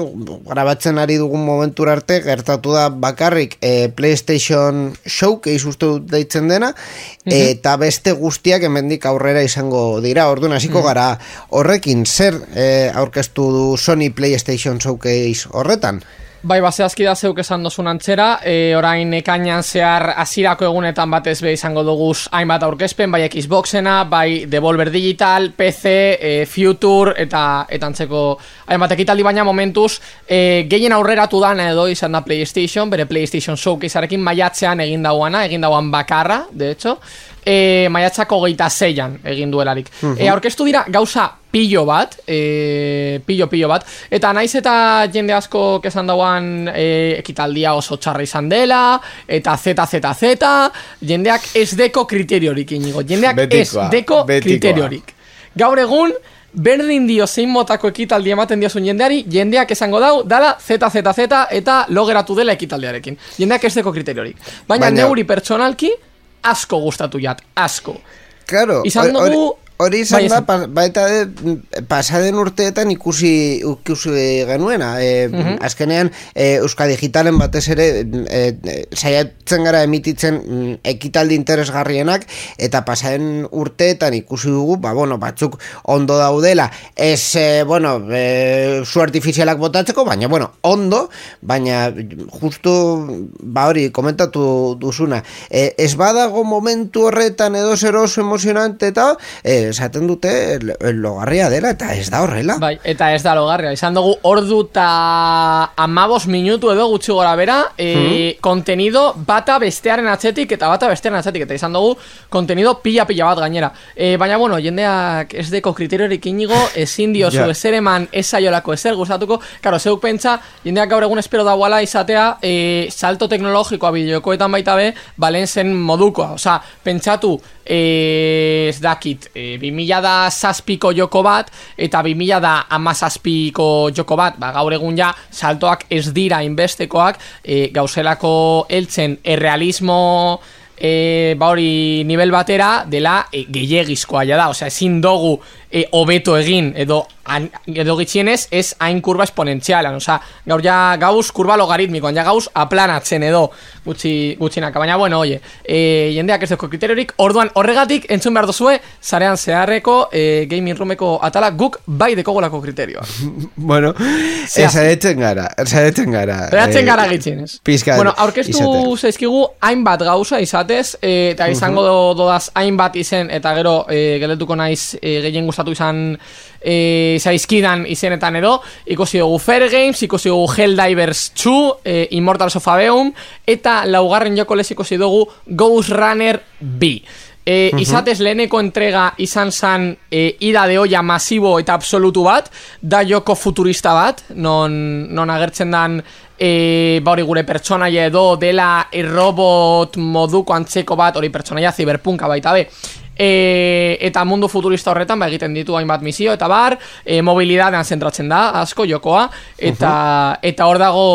grabatzen ari dugun momentur arte, gertatu da bakarrik e, PlayStation Showcase uste dut deitzen dena, mm-hmm. eta beste guztiak hemendik aurrera izango dira. Orduan hasiko mm-hmm. gara horrekin, zer e, aurkeztu du Sony PlayStation Showcase horretan? Bai, baseazki da zeuk esan dozun antzera, e, orain ekainan zehar hasierako egunetan batez be izango duguz hainbat aurkezpen, bai Xboxena, bai Devolver Digital, P C, e, Future, eta eta antzeko hainbat ekitaldi, baina momentuz e, gehien aurreratu dana edo izan da PlayStation, bere PlayStation Showcasearekin maiatzean egin dauana, egin dauan bakarra, de hecho, e, maiatzako geita zeian egin duelarik. Uh-huh. E, aurkeztu dira gauza pillo bat, e, pillo pillo bat, eta naiz eta jende asko esan dauan e, ekitaldia oso txarra izan dela, eta Z Z Z, jendeak ez deko kriteriorik inigo, jendeak betikoa, ez deko betikoa. kriteriorik. Gaur egun, berdin dio zein motako ekitaldi ematen diozun jendeari, jendeak esango dau, dala Z Z Z eta logeratu dela ekitaldiarekin. Jendeak ez deko kriteriorik. Baina, Baina neuri pertsonalki, asko gustatu jat, asko. Claro, izan dugu... Hori izan da, pa, baita de, pasaden urteetan ikusi, ikusi genuena. E, uh-huh. Azkenean, e, Euskal Digitalen batez ere e, saiatzen gara emititzen ekitaldi interesgarrienak, eta pasaden urteetan ikusi dugu, ba, bueno, batzuk ondo daudela. Ez, e, bueno, e, zu artifizialak botatzeko, baina, bueno, ondo, baina justu, ba hori, komentatu duzuna. E, ez badago momentu horretan edo zer oso emozionante eta, e, esaten dute logarria dela, eta ez da horrela. Bai, eta ez da logarria. Izan dugu ordu eta amabos minutu edo gutxi gora bera, e, hmm. kontenido bata bestearen atzetik eta bata bestearen atzetik, eta izan dugu kontenido pila-pila bat gainera. E, baina, bueno, jendeak ez deko kriteriorik inigo, ezin diozu yeah. ezer eman ezaiolako ezer gustatuko, karo, zeuk pentsa, jendeak gaur egun espero dauala izatea, e, salto teknologikoa bideokoetan baita be, balen zen modukoa. Osa, pentsatu, e, ez dakit, e, bi mila da zazpiko joko bat eta bi mila da hamazazpiko joko bat, ba, gaur egun ja saltoak ez dira inbestekoak, e, gauzelako heltzen errealismo e, ba hori nivel batera dela e, gehiegizkoa ja da, osea ezin dugu e, hobeto egin edo an, edo gitxienez ez hain kurba esponentzialan, osea gaur ja gauz kurba logaritmikoan, ja gauz aplanatzen edo gutxi, gutxinaka, baina bueno, oie, e, jendeak ez deko kriteriorik, orduan horregatik entzun behar dozue, zarean zeharreko e, gaming roomeko atala guk bai dekogolako kriterioa. Bueno, esaretzen gara, esaretzen gara. Esaretzen gara e, gitxienez. Bueno, aurkeztu zaizkigu hainbat gauza izatez, e, eta izango uh-huh. dodaz hainbat izen, eta gero e, geletuko naiz e, gehien gustatu izan e, zaizkidan izenetan edo, ikusi dugu Fair Games, ikusi dugu Helldivers two, e, Immortals of Aveum, eta laugarren joko lez ikusi dugu Ghost Runner B. E, uh-huh. Izatez leheneko entrega izan zan e, ida de olla masibo eta absolutu bat, da joko futurista bat, non, non agertzen dan e, ba hori gure pertsonaia edo dela e, robot moduko antzeko bat, hori pertsonaia ziberpunka baita be. E, eta mundu futurista horretan ba, egiten ditu hainbat misio eta bar, e, mobilidadean zentratzen da asko jokoa, eta uh-huh. eta hor dago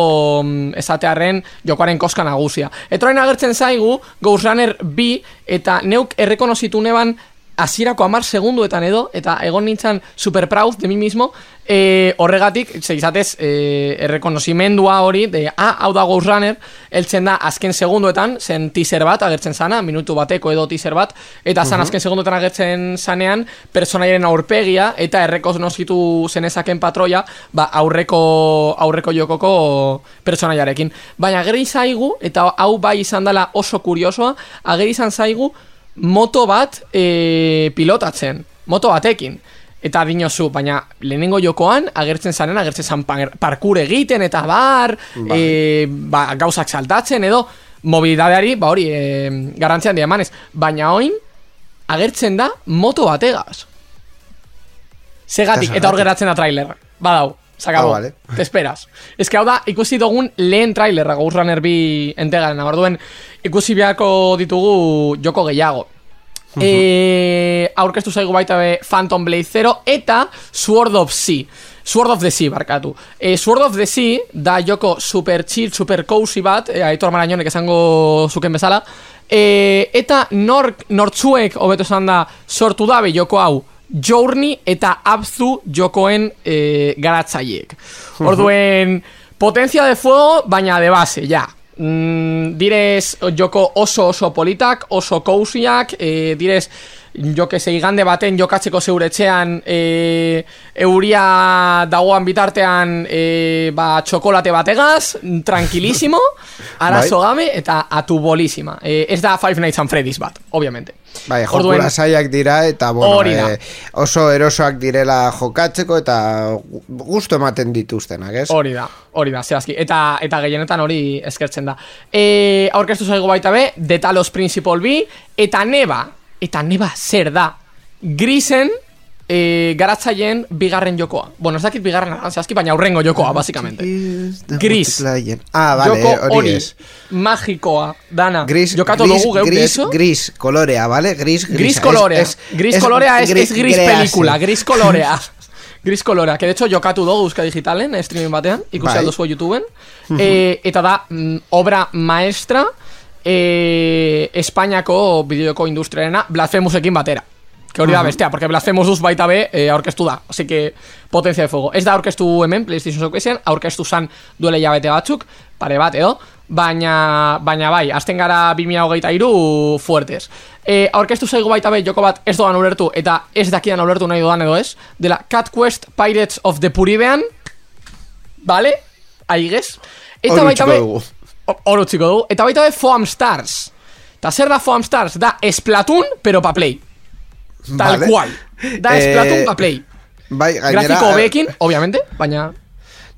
esatearren jokoaren koska nagusia. Eta orain agertzen zaigu Ghost Runner B, eta neuk errekonozitu neban hasierako hamar segunduetan edo, eta egon nintzen super proud de mi mismo, e, horregatik, izatez, e, errekonozimendua hori, de, ah, hau da Ghost Runner, eltzen da azken segunduetan, zen teaser bat agertzen zana, minutu bateko edo teaser bat, eta zan uh-huh. azken segunduetan agertzen zanean, personaiaren aurpegia, eta errekonozitu zenezaken patroia, ba, aurreko, aurreko jokoko personaiarekin. Baina ageri zaigu, eta hau bai izan dela oso kuriosoa, ageri izan zaigu, moto bat e, pilotatzen, moto batekin, eta dinozu, baina lehenengo jokoan agertzen zaren, agertzen zan parkour egiten eta bar, bai. e, ba, gauzak saltatzen edo mobilidadeari, ba hori, e, garrantzian di emanez, baina oin agertzen da moto bategaz segatik, eta hor geratzen da trailer, badau, sakabo, ah, vale. Te esperas. Ez que hau da, ikusi dugun lehen trailerra Ghost Runner B entegaren, aborduen ikusi beharko ditugu joko gehiago. Uh-huh. E, aurkeztu zaigu baita be Phantom Blade Zero eta Sword of Sea. Sword of the Sea, barkatu. E, Sword of the Sea da joko super chill, super cozy bat, e, Aitor Marañonek esango zuken bezala, e, eta nor, nortzuek, hobeto esan da, sortu dabe joko hau, Journey eta Abzu jokoen e, garatzaileek. Orduen, potencia de fuego, baina de base, ja. Mm, direz joko oso oso politak, oso cozyak, e, direz jo que se igande baten jokatzeko zeure etxean e, euria dagoan bitartean e, ba, txokolate bategaz, tranquilísimo, arazo gabe eta atubolísima. E, ez da Five Nights at Freddy's bat, obviamente. Bai, jokura zaiak dira eta bueno, eh, oso erosoak direla jokatzeko eta gustu ematen dituztenak, ez? Hori da, hori da, zehazki. Eta, eta gehienetan hori eskertzen da. E, aurkeztu zaigu baita be, The Talos Principle B, eta neba, eta neba zer da, Grisen e, garatzaileen bigarren jokoa. Bueno, ez dakit bigarren zehazki, baina aurrengo jokoa, basikamente. Gris. Ah, vale, joko hori ez. Magikoa, dana. Gris, jokatu gris, dugu, gris, gris, colorea, vale? Gris, gris. Gris colorea. Es, es, gris es, colorea es, gris, es gris grease. película, gris colorea. Gris colorea, que de hecho jokatu dugu Euska Digitalen, streaming batean, ikusi aldo zuen YouTubeen. Uh -huh. e, eta da, mm, obra maestra e, Espainiako bideoko industriarena Blasphemousekin batera. Que hori da bestea, porque Blasphemous duz baita be e, aurkeztu da. Así que, potencia de fuego. Ez da aurkeztu hemen, PlayStation Showcasean, aurkeztu zan duele jabete batzuk, pare bat edo, baina, baina bai, azten gara bi mila hogeita hiru fuertes. E, aurkeztu zaigu baita be, joko bat ez doan ulertu, eta ez dakidan ulertu nahi doan edo ez, dela Cat Quest Pirates of the Puribean, vale? Aigez. Eta baita be, oro txiko dugu, eta baita be Foam Stars. Eta zer da Foam Stars? Da Splatoon, pero pa Play. Tal vale. Cual. Da Splatoon eh, pa Play. Bai, gainera, grafiko hobeekin, obviamente, baina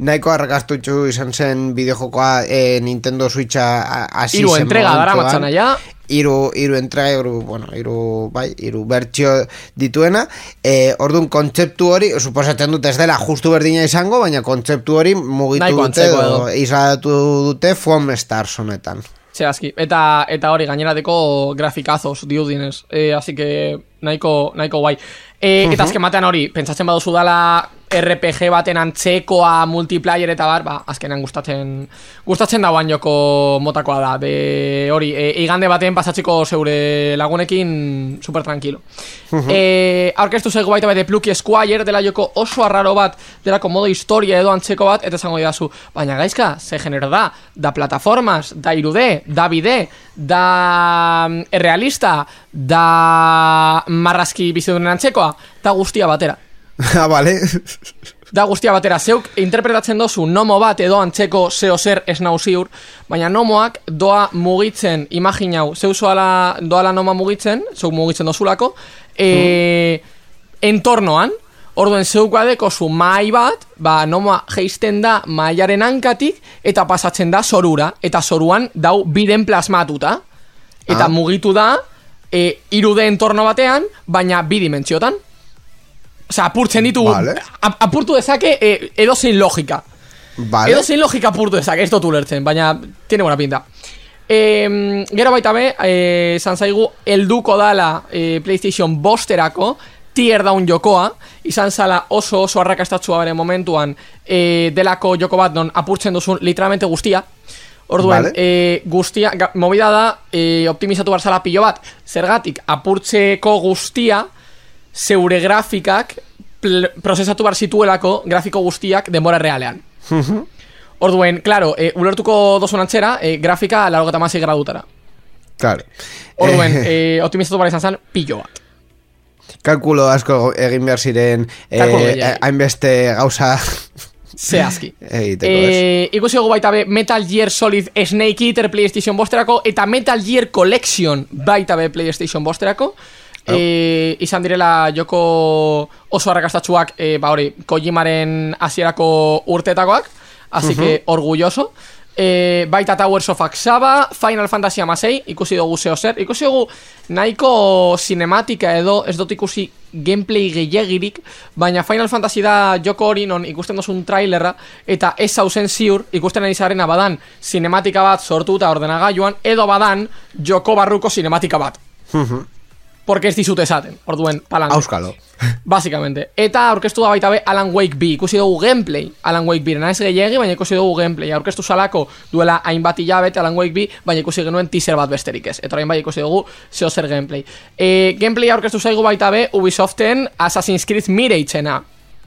nahiko arrakastutxu izan zen bideojokoa e, Nintendo Switcha hasi zen iru entrega dara matzana ja. Iru, iru entrega, iru, bueno, iru, bai, iru bertxio dituena. E, orduan, kontzeptu hori, suposatzen dute ez dela justu berdina izango, baina kontzeptu hori mugitu Naiko dute, edo, izatu dute Foam Stars honetan. Zehazki, eta, eta hori gainerateko grafikazos diudinez, e, así que nahiko, nahiko guai. E, eta azken batean hori, pentsatzen baduzu dala R P G baten antzekoa multiplayer eta bar, ba, azkenean gustatzen gustatzen dauan joko motakoa da. De hori, e, igande baten pasatzeko zeure lagunekin super tranquilo. Uh-huh. E, aurkeztu zaigu baita bete Plucky Squire dela joko oso arraro bat, delako modo historia edo antzeko bat, eta zango didazu, baina gaizka, ze genero da, da plataformas, da irude, da bide, da realista, da marrazki bizidunen antzekoa, da guztia batera. Ah, vale. Da guztia batera, zeuk interpretatzen dozu nomo bat edo antzeko zeo zer ez nau ziur, baina nomoak doa mugitzen, imaginau, zeu zoala doala noma mugitzen, zeuk mugitzen dozulako, e, mm. entornoan, orduen zeuk badeko zu mai bat, ba nomoa geisten da maiaren hankatik, eta pasatzen da zorura, eta zoruan dau biden plasmatuta, eta ah. mugitu da, e, irude entorno batean, baina bi dimentsiotan. Osea, apurtzen ditu, vale. apurtu dezake e, edozein logika. Vale. Edozein logika apurtu dezake, ez dut ulertzen, baina tiene buena pinta. E, gero baita be, e, zan zaigu, elduko dala e, PlayStation bosterako, tier down jokoa, izan zala oso oso arrakastatzua bere momentuan, e, delako joko bat non apurtzen duzun literalmente guztia. Orduen, vale. e, guztia, ga, movida da, e, optimizatu barzala pilo bat, zergatik, apurtzeko guztia, zeure grafikak prozesatu bar zituelako grafiko guztiak denbora realean. Uh-huh. Orduen, claro, e, ulertuko dozun antzera, e, grafika larogeta masei gradutara. Claro. Orduen, e, optimizatu bar izan zen pillo bat. Kalkulo asko egin behar ziren hainbeste e, gauza zehazki. E, ikusi dugu baita be Metal Gear Solid Snake Eater PlayStation bosterako eta Metal Gear Collection baita be PlayStation bosterako. Oh. E, izan direla joko oso arrakastatsuak e, ba hori, Kojimaren hasierako urtetakoak, así uh-huh. que orgulloso. E, baita Towers of Axaba, Final Fantasy hamasei, ikusi dugu zeo zer, ikusi dugu nahiko cinematika edo ez dut ikusi gameplay gehiagirik, baina Final Fantasy da joko hori non ikusten dozun trailerra eta ez hausen ziur ikusten ari zarena badan cinematika bat sortuta ordenagailuan edo badan joko barruko cinematika bat. Uh-huh. Porque ez dizute esaten, orduen palanque. Auskalo. Básicamente. Eta aurkeztu da baita be Alan Wake B. Ikusi dugu gameplay Alan Wake B. Ez gehiagi, baina ikusi dugu gameplay. Aurkeztu salako duela hainbat hilabete Alan Wake B, baina ikusi genuen teaser bat besterik ez. Eta orain bai ikusi dugu zeo zer gameplay. E, gameplay aurkeztu zaigu baita be Ubisoften Assassin's Creed Mirage-ena.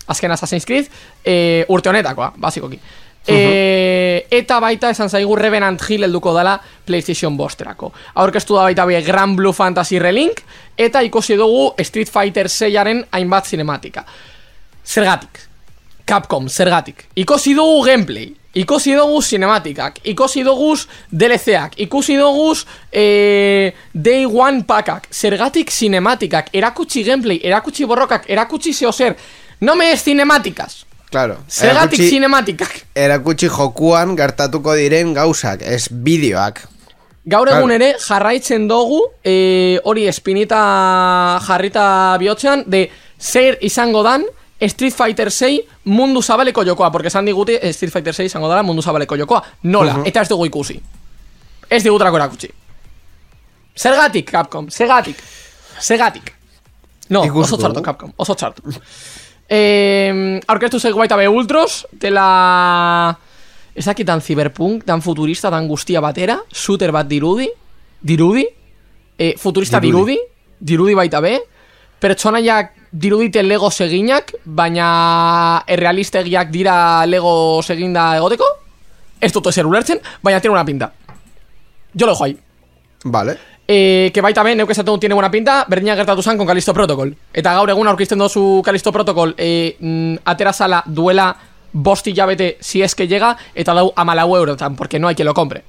Azken Assassin's Creed e, urte honetakoa, basikoki. E, eta baita esan zaigu Revenant Hill helduko dela PlayStation bosterako. Aurkeztu da baita bie Grand Blue Fantasy Relink, eta ikusi dugu Street Fighter seiaren hainbat cinematika. Zergatik, Capcom, zergatik. Ikusi dugu gameplay, ikusi dugu cinematikak, ikusi dugu D L C-ak, ikusi dugu eh, Day One packak, zergatik cinematikak, erakutsi gameplay, erakutsi borrokak, erakutsi zeozer, no me es cinematikaz. Claro. Zergatik cinematikak. Erakutsi jokuan gertatuko diren gauzak, ez bideoak. Gaur egun ere jarraitzen dugu e, hori espinita jarrita bihotzean de zer izango dan Street Fighter sei mundu zabaleko jokoa, porque esan diguti Street Fighter sei izango dara mundu zabaleko jokoa. Nola, uh -huh. Eta ez dugu ikusi. Ez digutrako erakutsi. Zergatik, Capcom, zergatik. Zergatik. No, oso txartu, Capcom, oso txartu. Eh, aurkeztu zaigu baita be Ultros dela ezakit tan cyberpunk, tan futurista, tan guztia batera, shooter bat dirudi dirudi eh, futurista dirudi. dirudi dirudi baita be, pertsonaiak dirudite Lego seginak, baina errealistegiak dira Lego seginda egoteko, ez dut ezer ulertzen, baina tiene una pinta, yo lo dejo ahí. Vale. Eh, que baita ben, neuk esaten tiene buena pinta, berdina gertatu zan con Callisto Protocol. Eta gaur egun aurkizten dozu Callisto Protocol eh, mm, aterazala duela bosti jabete si es que llega, eta dau amalau eurotan, porque no hay quien lo compre.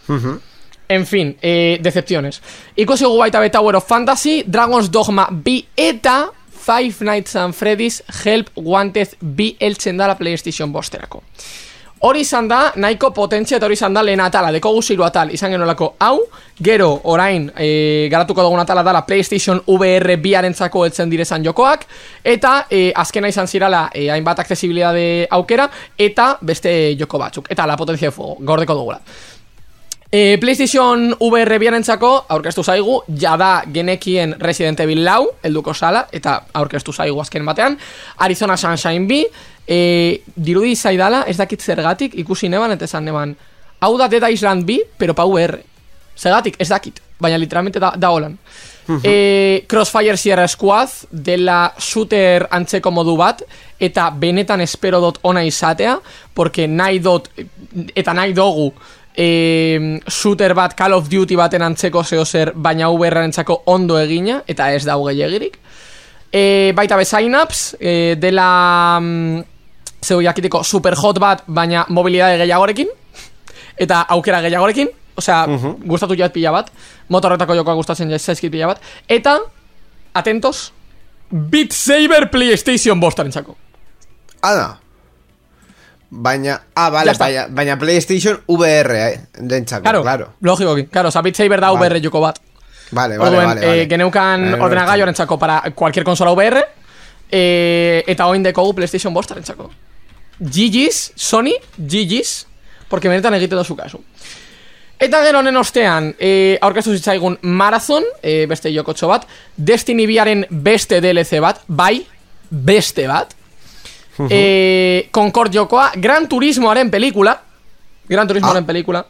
Uh-huh. En fin, eh, decepciones. Ikusi gu baita be Tower of Fantasy, Dragon's Dogma bi eta Five Nights at Freddy's Help Wanted bi eltzen dala PlayStation bosterako. Hori izan da, nahiko potentzia eta hori izan da lehen atala, deko guziru atal, izan genolako hau, gero orain e, garatuko dugun atala dala PlayStation V R biarentzako eltzen direzan jokoak, eta e, azkena izan zirala e, hainbat accesibilidade aukera, eta beste joko batzuk, eta la potentzia de fuego, gordeko dugula. E, PlayStation V R biarentzako aurkeztu zaigu, jada genekien Resident Evil lau, helduko sala, eta aurkeztu zaigu azken batean, Arizona Sunshine bi, E, dirudi zaidala, ez dakit zergatik, ikusi neban, eta esan neban, hau da Dead Island bi, pero pa V R. Zergatik, ez dakit, baina literalmente da, da holan. Uh-huh. e, Crossfire Sierra Squad, dela shooter antzeko modu bat, eta benetan espero dot ona izatea, porque nahi dot, eta nahi dogu, e, shooter bat Call of Duty baten antzeko zehozer, baina V R-rentzako ondo egina, eta ez dau gehiagirik. E, baita be Synapse, e, dela... Mm, zeu jakiteko super hot bat, baina mobilidade gehiagorekin eta aukera gehiagorekin, osea, uh-huh. gustatu jat pila bat, motorretako jokoa gustatzen zaizkit pila bat, eta atentos, Beat Saber PlayStation bostarentzako. Ada. Baina, ah, vale, baina, baina PlayStation V R eh, dentzako, claro, claro. Logikoki, claro, osea, Beat Saber da vale. V R joko bat. Vale, vale, Orduen, vale, vale. Eh, geneukan vale, ordenagailorentzako para cualquier consola V R, eh, eta oin dekogu PlayStation bostarentzako. G G's, Sony, G G's, porque benetan egiten dozu kasu. Eta gero honen ostean, e, aurkeztu zitzaigun Marathon, e, beste jokotxo bat, Destiny biaren beste D L C bat, bai, beste bat, uh-huh. e, Concord jokoa, Gran Turismoaren pelikula, Gran Turismoaren ah. pelikula,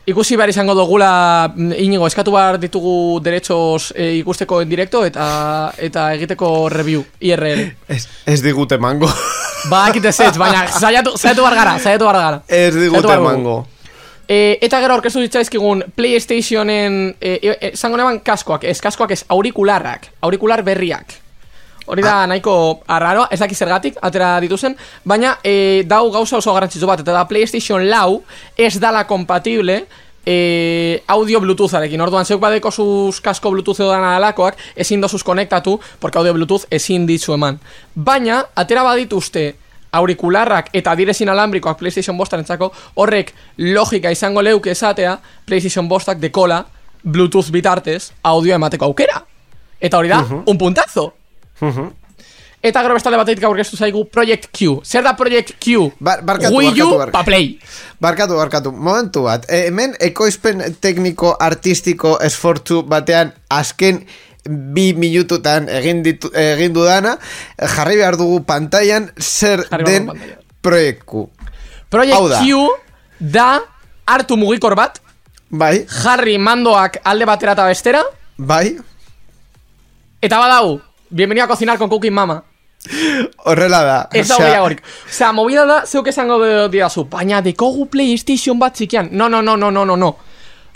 ikusi behar izango dugula, inigo, eskatu behar ditugu derechos e, ikusteko en directo eta eta egiteko review, I R L. Ez, ez digute mango. Ba, ekite zetz, baina zaiatu, zaiatu bargara, zaiatu bargara. Ez digute mango. E, eta gero aurkeztu ditzaizkigun PlayStationen, zango e, e, neban kaskoak, ez kaskoak ez aurikularrak, aurikular berriak. Hori da ah. nahiko arraroa, ez daki zergatik, atera dituzen, baina e, dau gauza oso garrantzitsu bat, eta da PlayStation lau ez dala kompatible e, audio Bluetootharekin. Orduan, zeuk badeko zuz kasko Bluetooth edo dana dalakoak, ezin dozuz konektatu, porque audio Bluetooth ezin ditzu eman. Baina, atera badituzte aurikularrak eta direzin alambrikoak PlayStation bostarentzako, horrek logika izango leuke esatea, PlayStation bostak dekola Bluetooth bitartez audio emateko aukera. Eta hori da, uh-huh. un puntazo. Uh-huh. Eta gero bestale batetik aurkeztu zaigu Project Q. Zer da Project Q? Bar, barkatu, Wii U barkatu, pa Play. Barkatu, barkatu, momentu bat e, hemen ekoizpen tekniko artistiko esfortzu batean azken bi minututan egin, ditu, egin dudana, jarri behar dugu pantailan zer jarri den Project Q. Project Q da hartu mugikor bat, bai. jarri mandoak alde batera eta bestera, bai. eta badau Bienvenido a cocinar con Cooking Mama. Horrela da. Ez da gehiagorik. Osea, movida da, zeuk esango didazu, baina dekogu PlayStation bat zikian. No, no, no, no, no, no, no.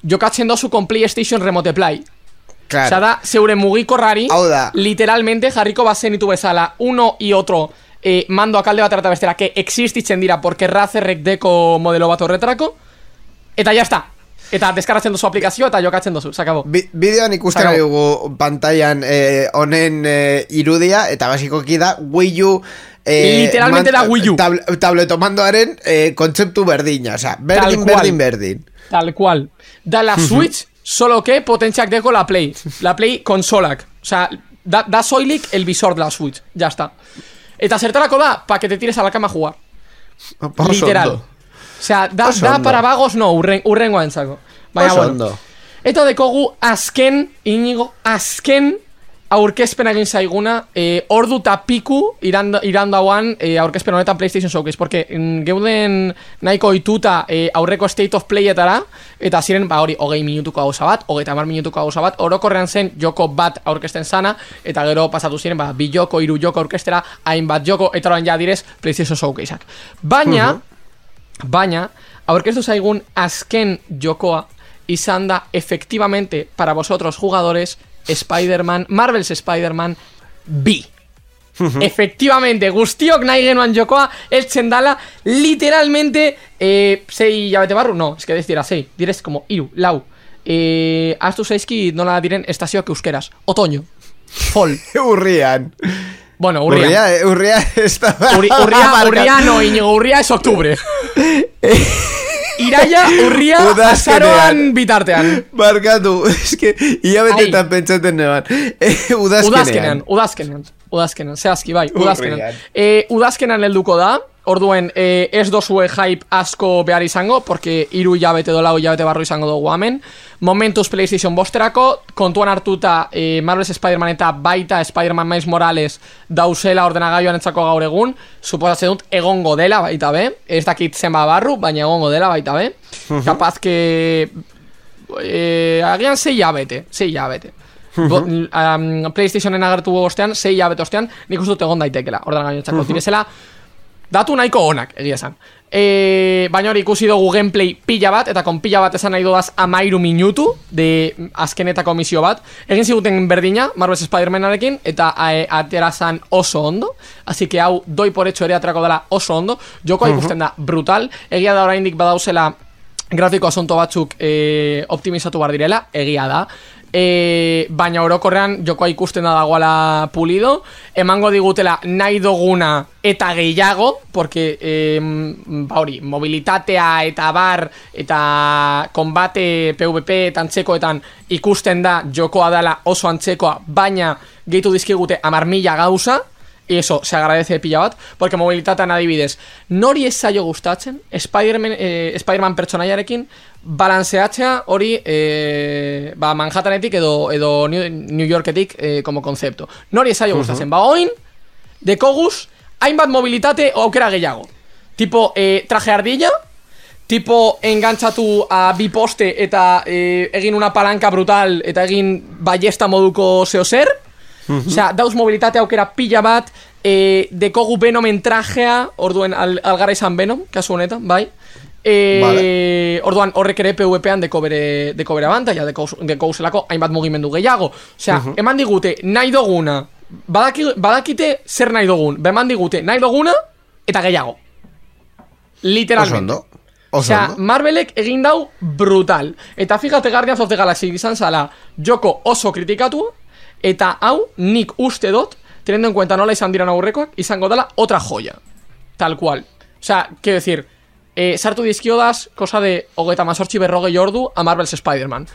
Jokatzen dozu con PlayStation Remote Play. Claro. Osea, da, zeure mugikorrari, literalmente jarriko bazenitu bezala, uno y otro eh, mando akalde batera eta bestera, que existitzen dira, porque Razerrek deko modelo bat horretarako, eta ya está. Eta deskargatzen duzu aplikazioa eta jokatzen duzu, sakabo. Bi bideoan ikusten ari dugu pantailan honen eh, eh, irudia, eta basikoki da Wii U eh, literalmente da Wii U tab tabletomandoaren eh, kontzeptu berdina, o sea, berdin, berdin, berdin. Tal cual. Da la Switch, solo que potentziak deko la Play. La Play konsolak. O sea, da, da soilik el visor de la Switch. Ya está. Eta zertarako da, pa que te tires a la cama a jugar. Literal. O sea, da, da para vagos, no, urren, urrengoa entzako. Baina, bueno. Eta dekogu azken, inigo, azken aurkezpen egin zaiguna, eh, ordu eta piku irandauan eh, aurkezpen honetan PlayStation Showcase, porque mm, geuden nahiko ituta eh, aurreko State of Playetara, eta ziren, ba hori, hogei minutuko gauza bat, hogeita hamar minutuko gauza bat, orokorrean zen joko bat aurkezten zana, eta gero pasatu ziren, ba, bi joko, hiru joko aurkeztera, hainbat joko, eta orain ja direz PlayStation Showcaseak. Baina, uh -huh. baina, aurkeztu zaigun azken jokoa izan da, efectivamente, para vosotros jugadores, Spider-Man, Marvel's Spider-Man B. Efectivamente, guztiok nahi genuan jokoa eltzen dala, literalmente eh, sei hilabete barru, no, es que ez dira sei, direz como iru, lau eh, Aztu zaizki nola diren estazioak euskeraz, otoño, fall Urrian. Bueno, urria Urria, urria está... Urri, urria, urria no, Iñigo, urria es octubre. Iraia, urria, azaroan bitartean. Barkatu, es que hilabetetan pentsaten neban. Udazkenean. Udazkenean, udazkenean. Udazkenean, zehazki, bai, udazkenean. Eh, udazkenean helduko da, orduen eh, ez dozue hype asko behar izango, porque iru hilabete do lau hilabete barru izango dugu hemen. Momentuz PlayStation bosterako, kontuan hartuta eh, Marvel's Spider-Man eta baita Spider-Man Miles Morales dauzela ordenagailuan entzako gaur egun, suposatzen dut egongo dela baita be, ez dakit zenba barru, baina egongo dela baita be. Uh -huh. Kapaz que eh, agian sei hilabete, sei hilabete. Uh -huh. um, PlayStationen agertu ostean, sei hilabete ostean, nik uste dut egon daitekela ordenagailuan entzako. Uh -huh. Direzela, datu nahiko onak, egia esan. E, baina hori ikusi dugu gameplay pila bat, eta kon pila bat esan nahi dudaz amairu minutu de azkenetako misio bat. Egin ziguten berdina, Marvel's Spider-Manarekin, eta e, aterazan oso ondo. Así que hau doi por hecho ere atrako dela oso ondo. Jokoa ikusten da brutal. Egia da oraindik badauzela grafiko asunto batzuk e, optimizatu bar direla, egia da. E, baina orokorrean jokoa ikusten da dagoela pulido, emango digutela nahi duguna eta gehiago, porque e, ba hori, mobilitatea eta bar eta konbate PvP eta antzekoetan ikusten da jokoa dela oso antzekoa, baina gehitu dizkigute hamar mila gauza. Y eso, se agradece pila bat, porque mobilitatean adibidez, nori ez zaio gustatzen Spider-Man, eh, Spider-Man pertsonaiarekin balanceatzea hori eh, ba Manhattanetik edo, edo New Yorketik eh, como concepto. Nori ez zaio gustatzen, uh -huh. Ba oin dekoguz hainbat mobilitate aukera gehiago, tipo eh, traje ardilla, tipo engantzatu a bi poste eta eh, egin una palanka brutal eta egin ballesta moduko zeozer. Uh-huh. Osea, dauz mobilitate aukera pila bat, eh, dekogu Venomen trajea, orduen al, algara izan Venom, kasu honetan, bai. Eh, vale. Orduan horrek ere PvPan deko bere, deko bere abantaia, deko, deko zelako hainbat mugimendu gehiago. Osea, uh-huh. Eman digute nahi duguna, badaki, badakite zer nahi dugun, beman digute nahi duguna eta gehiago. Literalmente. Oso ondo. Osea, Marvelek egin dau brutal. Eta fíjate, Guardians of the Galaxy izan zala joko oso kritikatu. Eta hau, nik uste dut, teniendo en cuenta nola izan diran aurrekoak, izango dela otra joya. Tal cual. O sea, quiero decir, eh, sartu dizkiodaz, cosa de hogeita mazortzi berrogei ordu a Marvel's Spider-Man.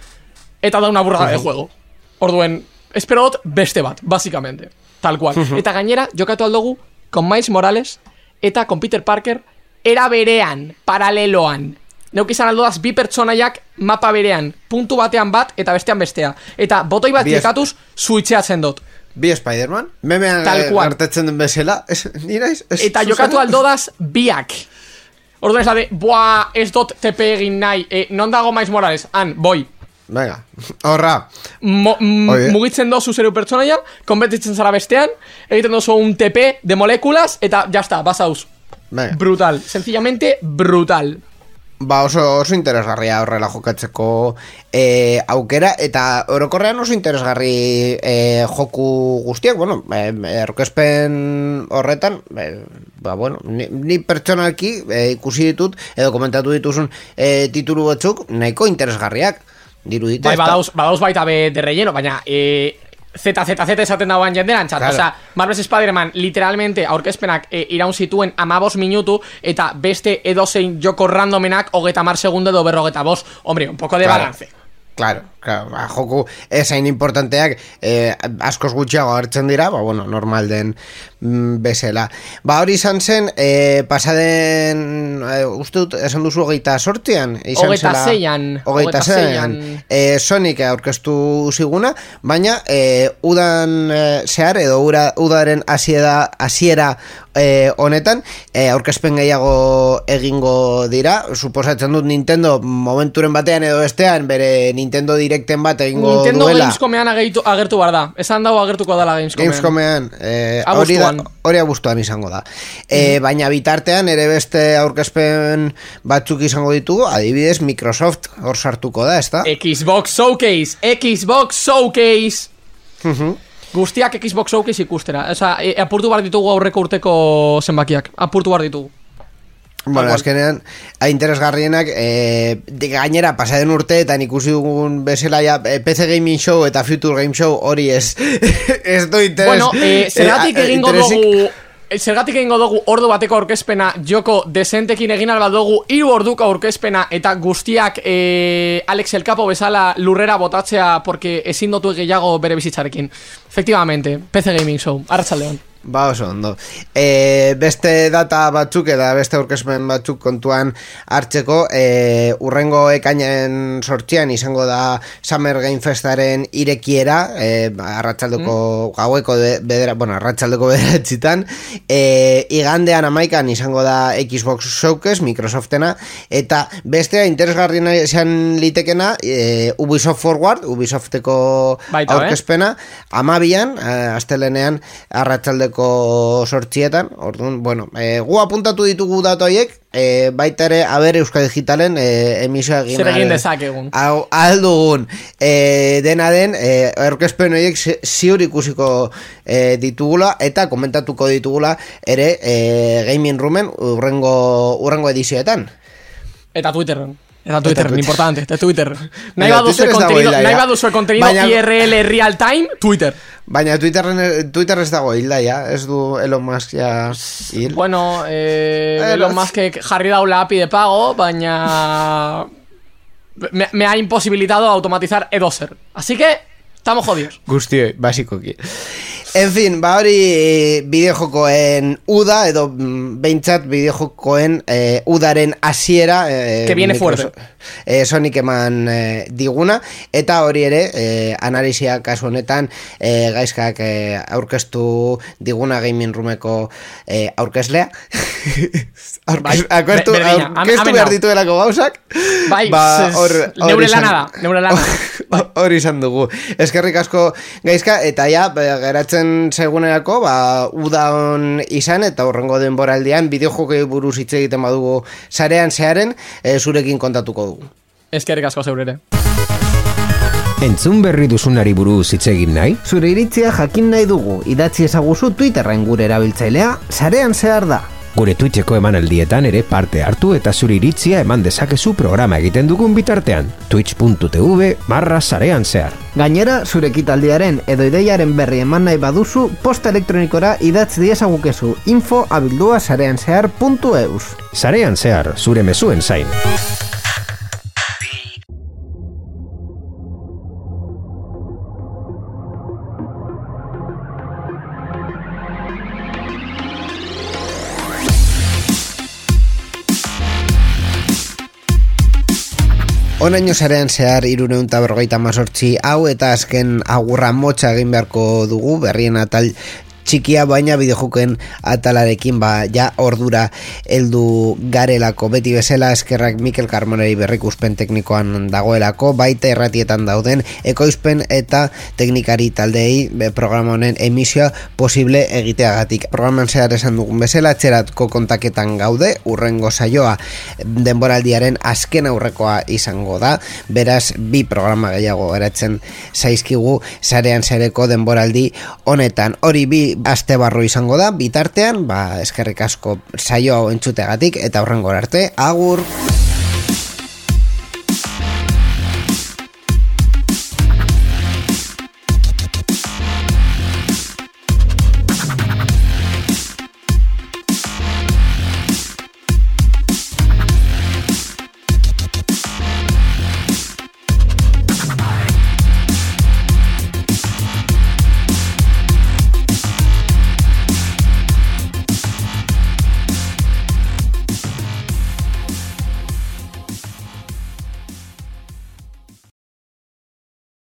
Eta da una burrada de juego. Orduen, espero dut beste bat, básicamente. Tal cual. Eta gainera, jokatu aldugu, con Miles Morales, eta con Peter Parker, era berean, paraleloan. Neuk izan aldodaz bi pertsonaiak mapa berean, puntu batean bat eta bestean bestea. Eta botoi bat klikatuz suitzeatzen dut. Bi Spider-Man? Memean gartetzen den bezala? Eta jokatu aldodaz biak. Orduan ez da de, boa, ez dut T P egin nahi, eh, non dago Miles Morales? Han, boi. Venga, horra. Mo, mugitzen dozu zeru pertsonaia, konbetitzen zara bestean, egiten dozu un T P de molekulas, eta jazta, basauz. Venga. Brutal, sencillamente brutal. Ba, oso, oso interesgarria horrela jokatzeko e, aukera, eta orokorrean oso interesgarri e, joku guztiak, bueno, erkezpen horretan, e, ba, bueno, ni, ni pertsonalki e, ikusi ditut, edo komentatu dituzun e, titulu batzuk, nahiko interesgarriak, dirudite. Bai, badauz, badauz baita be de relleno, baina... E... Z Z Z esaten dagoen jenderan txat, claro. Osea, Marvel's Spider-Man literalmente aurkezpenak e, iraun zituen amabos minutu eta beste edozein joko randomenak hogeita mar segundo edo berrogeta bost. Hombre, un poco de claro. balance. Claro, claro, ba, joku esain importanteak eh, askoz gutxiago hartzen dira, ba, bueno, normal den mm, bezala. Ba, hori izan zen, eh, pasaden, eh, uste dut, esan duzu hogeita sortzian? Hogeita zeian. Hogeita zeian. Eh, Sonic aurkeztu ziguna, baina eh, udan eh, zehar, edo ura, udaren hasiera hasiera eh, honetan, eh, aurkezpen gehiago egingo dira, suposatzen dut Nintendo momenturen batean edo bestean, bere Nintendo Directen bat egingo Nintendo duela. Nintendo Gamescomean agertu, agertu bar da. Esan dago agertuko dela Gamescomean. Gamescomean, eh, hori da, hori abuztuan izango da. Eh, mm. Baina bitartean ere beste aurkezpen batzuk izango ditugu, adibidez Microsoft hor sartuko da, ezta? Xbox Showcase, Xbox Showcase. Uh-huh. Guztiak Xbox Showcase ikustera. Osa, e, apurtu bar ditugu aurreko urteko zenbakiak. Apurtu bar ditugu. Bueno, azkenean, interesgarrienak, eh, gainera, pasaden urteetan ikusi dugun bezala ja, P C Gaming Show eta Future Game Show hori ez, ez do interes. Bueno, eh, zergatik eh, egingo dugu, zergatik egingo dugu ordu bateko aurkezpena, joko desentekin egin alba dugu, hiru orduko aurkezpena, eta guztiak eh, Alex El Capo bezala lurrera botatzea, porque ezin dotu gehiago bere bizitzarekin. Efectivamente, P C Gaming Show, arratsaldeon. Ba, oso, ondo. E, beste data batzuk eta beste aurkezpen batzuk kontuan hartzeko, e, urrengo ekainen sortzian izango da Summer Game Festaren irekiera, e, arratsaldeko mm. gaueko bedera, bueno, arratsaldeko bederatzitan, e, igandean amaikan izango da Xbox Showcase, Microsoftena, eta bestea interesgarriena izan litekena, e, Ubisoft Forward, Ubisofteko baita, aurkezpena, eh? amabian, astelenean, arratsaldeko sortzietan, orduan, bueno, e, gu apuntatu ditugu datu horiek, e, baita ere, aber Euskal Digitalen e, emisioa egin. Zer egin dezakegun. Aldugun, e, dena den, e, aurkezpen horiek ziur ikusiko e, ditugula, eta komentatuko ditugula ere e, Gaming Roomen urrengo, urrengo edizioetan. Eta Twitterren. Eta Twitter, Twitter. Importante, eta Twitter. Nahi baduzue kontenido, nahi baduzue kontenido baina, I R L real time, Twitter. Baina Twitterren, Twitter ez dago hilda, ja, ez du Elon Musk ja hil. Bueno, eh, Elon Musk jarri daula A P I de pago, baina me, me ha imposibilitado automatizar edozer. Así que, estamos jodidos. Guzti, basikoki. En fin, ba hori bideojokoen uda, edo behintzat bideojokoen eh, udaren hasiera eh, que viene fuerte eh, Sonic eman eh, diguna, eta hori ere eh, analisia kasu honetan eh, gaizkak eh, aurkeztu diguna Gaming Roomeko eh, aurkezlea Aurkez, bai, aurkeztu, be, aurkeztu behar dituelako gauzak bai, ba, or, neure lana da neure lana hori izan dugu eskerrik asko gaizka, eta ja geratzen segunerako, ba, udaon izan eta horrengo denboraldian bideojokei buruz hitz egiten badugu sarean zearen, e, zurekin kontatuko dugu. Eskerrik asko zeurere. Entzun berri duzunari buruz hitz egin nahi? Zure iritzia jakin nahi dugu, idatzi ezaguzu Twitterren gure erabiltzailea, sarean zehar da. Gure Twitcheko emanaldietan ere parte hartu eta zure iritzia eman dezakezu programa egiten dugun bitartean. Twitch.tv barra sarean zehar. Gainera, zure ekitaldiaren edo ideiaren berri eman nahi baduzu, posta elektronikora idatz diezagukezu info abildua sarean zehar puntu eus. Sarean zehar, zure mezuen zain. Onaino sarean zehar irureun eta berrogeita mazortzi hau, eta azken agurra motxa egin beharko dugu berrien atal txikia, baina bideojokoen atalarekin ba ja ordura heldu garelako. Beti bezala eskerrak Mikel Carmoneri berrikuspen teknikoan dagoelako, baita erratietan dauden ekoizpen eta teknikari taldeei programa honen emisioa posible egiteagatik. Programan zehar esan dugun bezala, etxeratko kontaketan gaude, urrengo saioa denboraldiaren azken aurrekoa izango da, beraz bi programa gehiago eratzen zaizkigu Sarean Sareko denboraldi honetan. Hori bi aste barru izango da, bitartean, ba, eskerrik asko saio hau entzutegatik, eta horrengor arte, agur!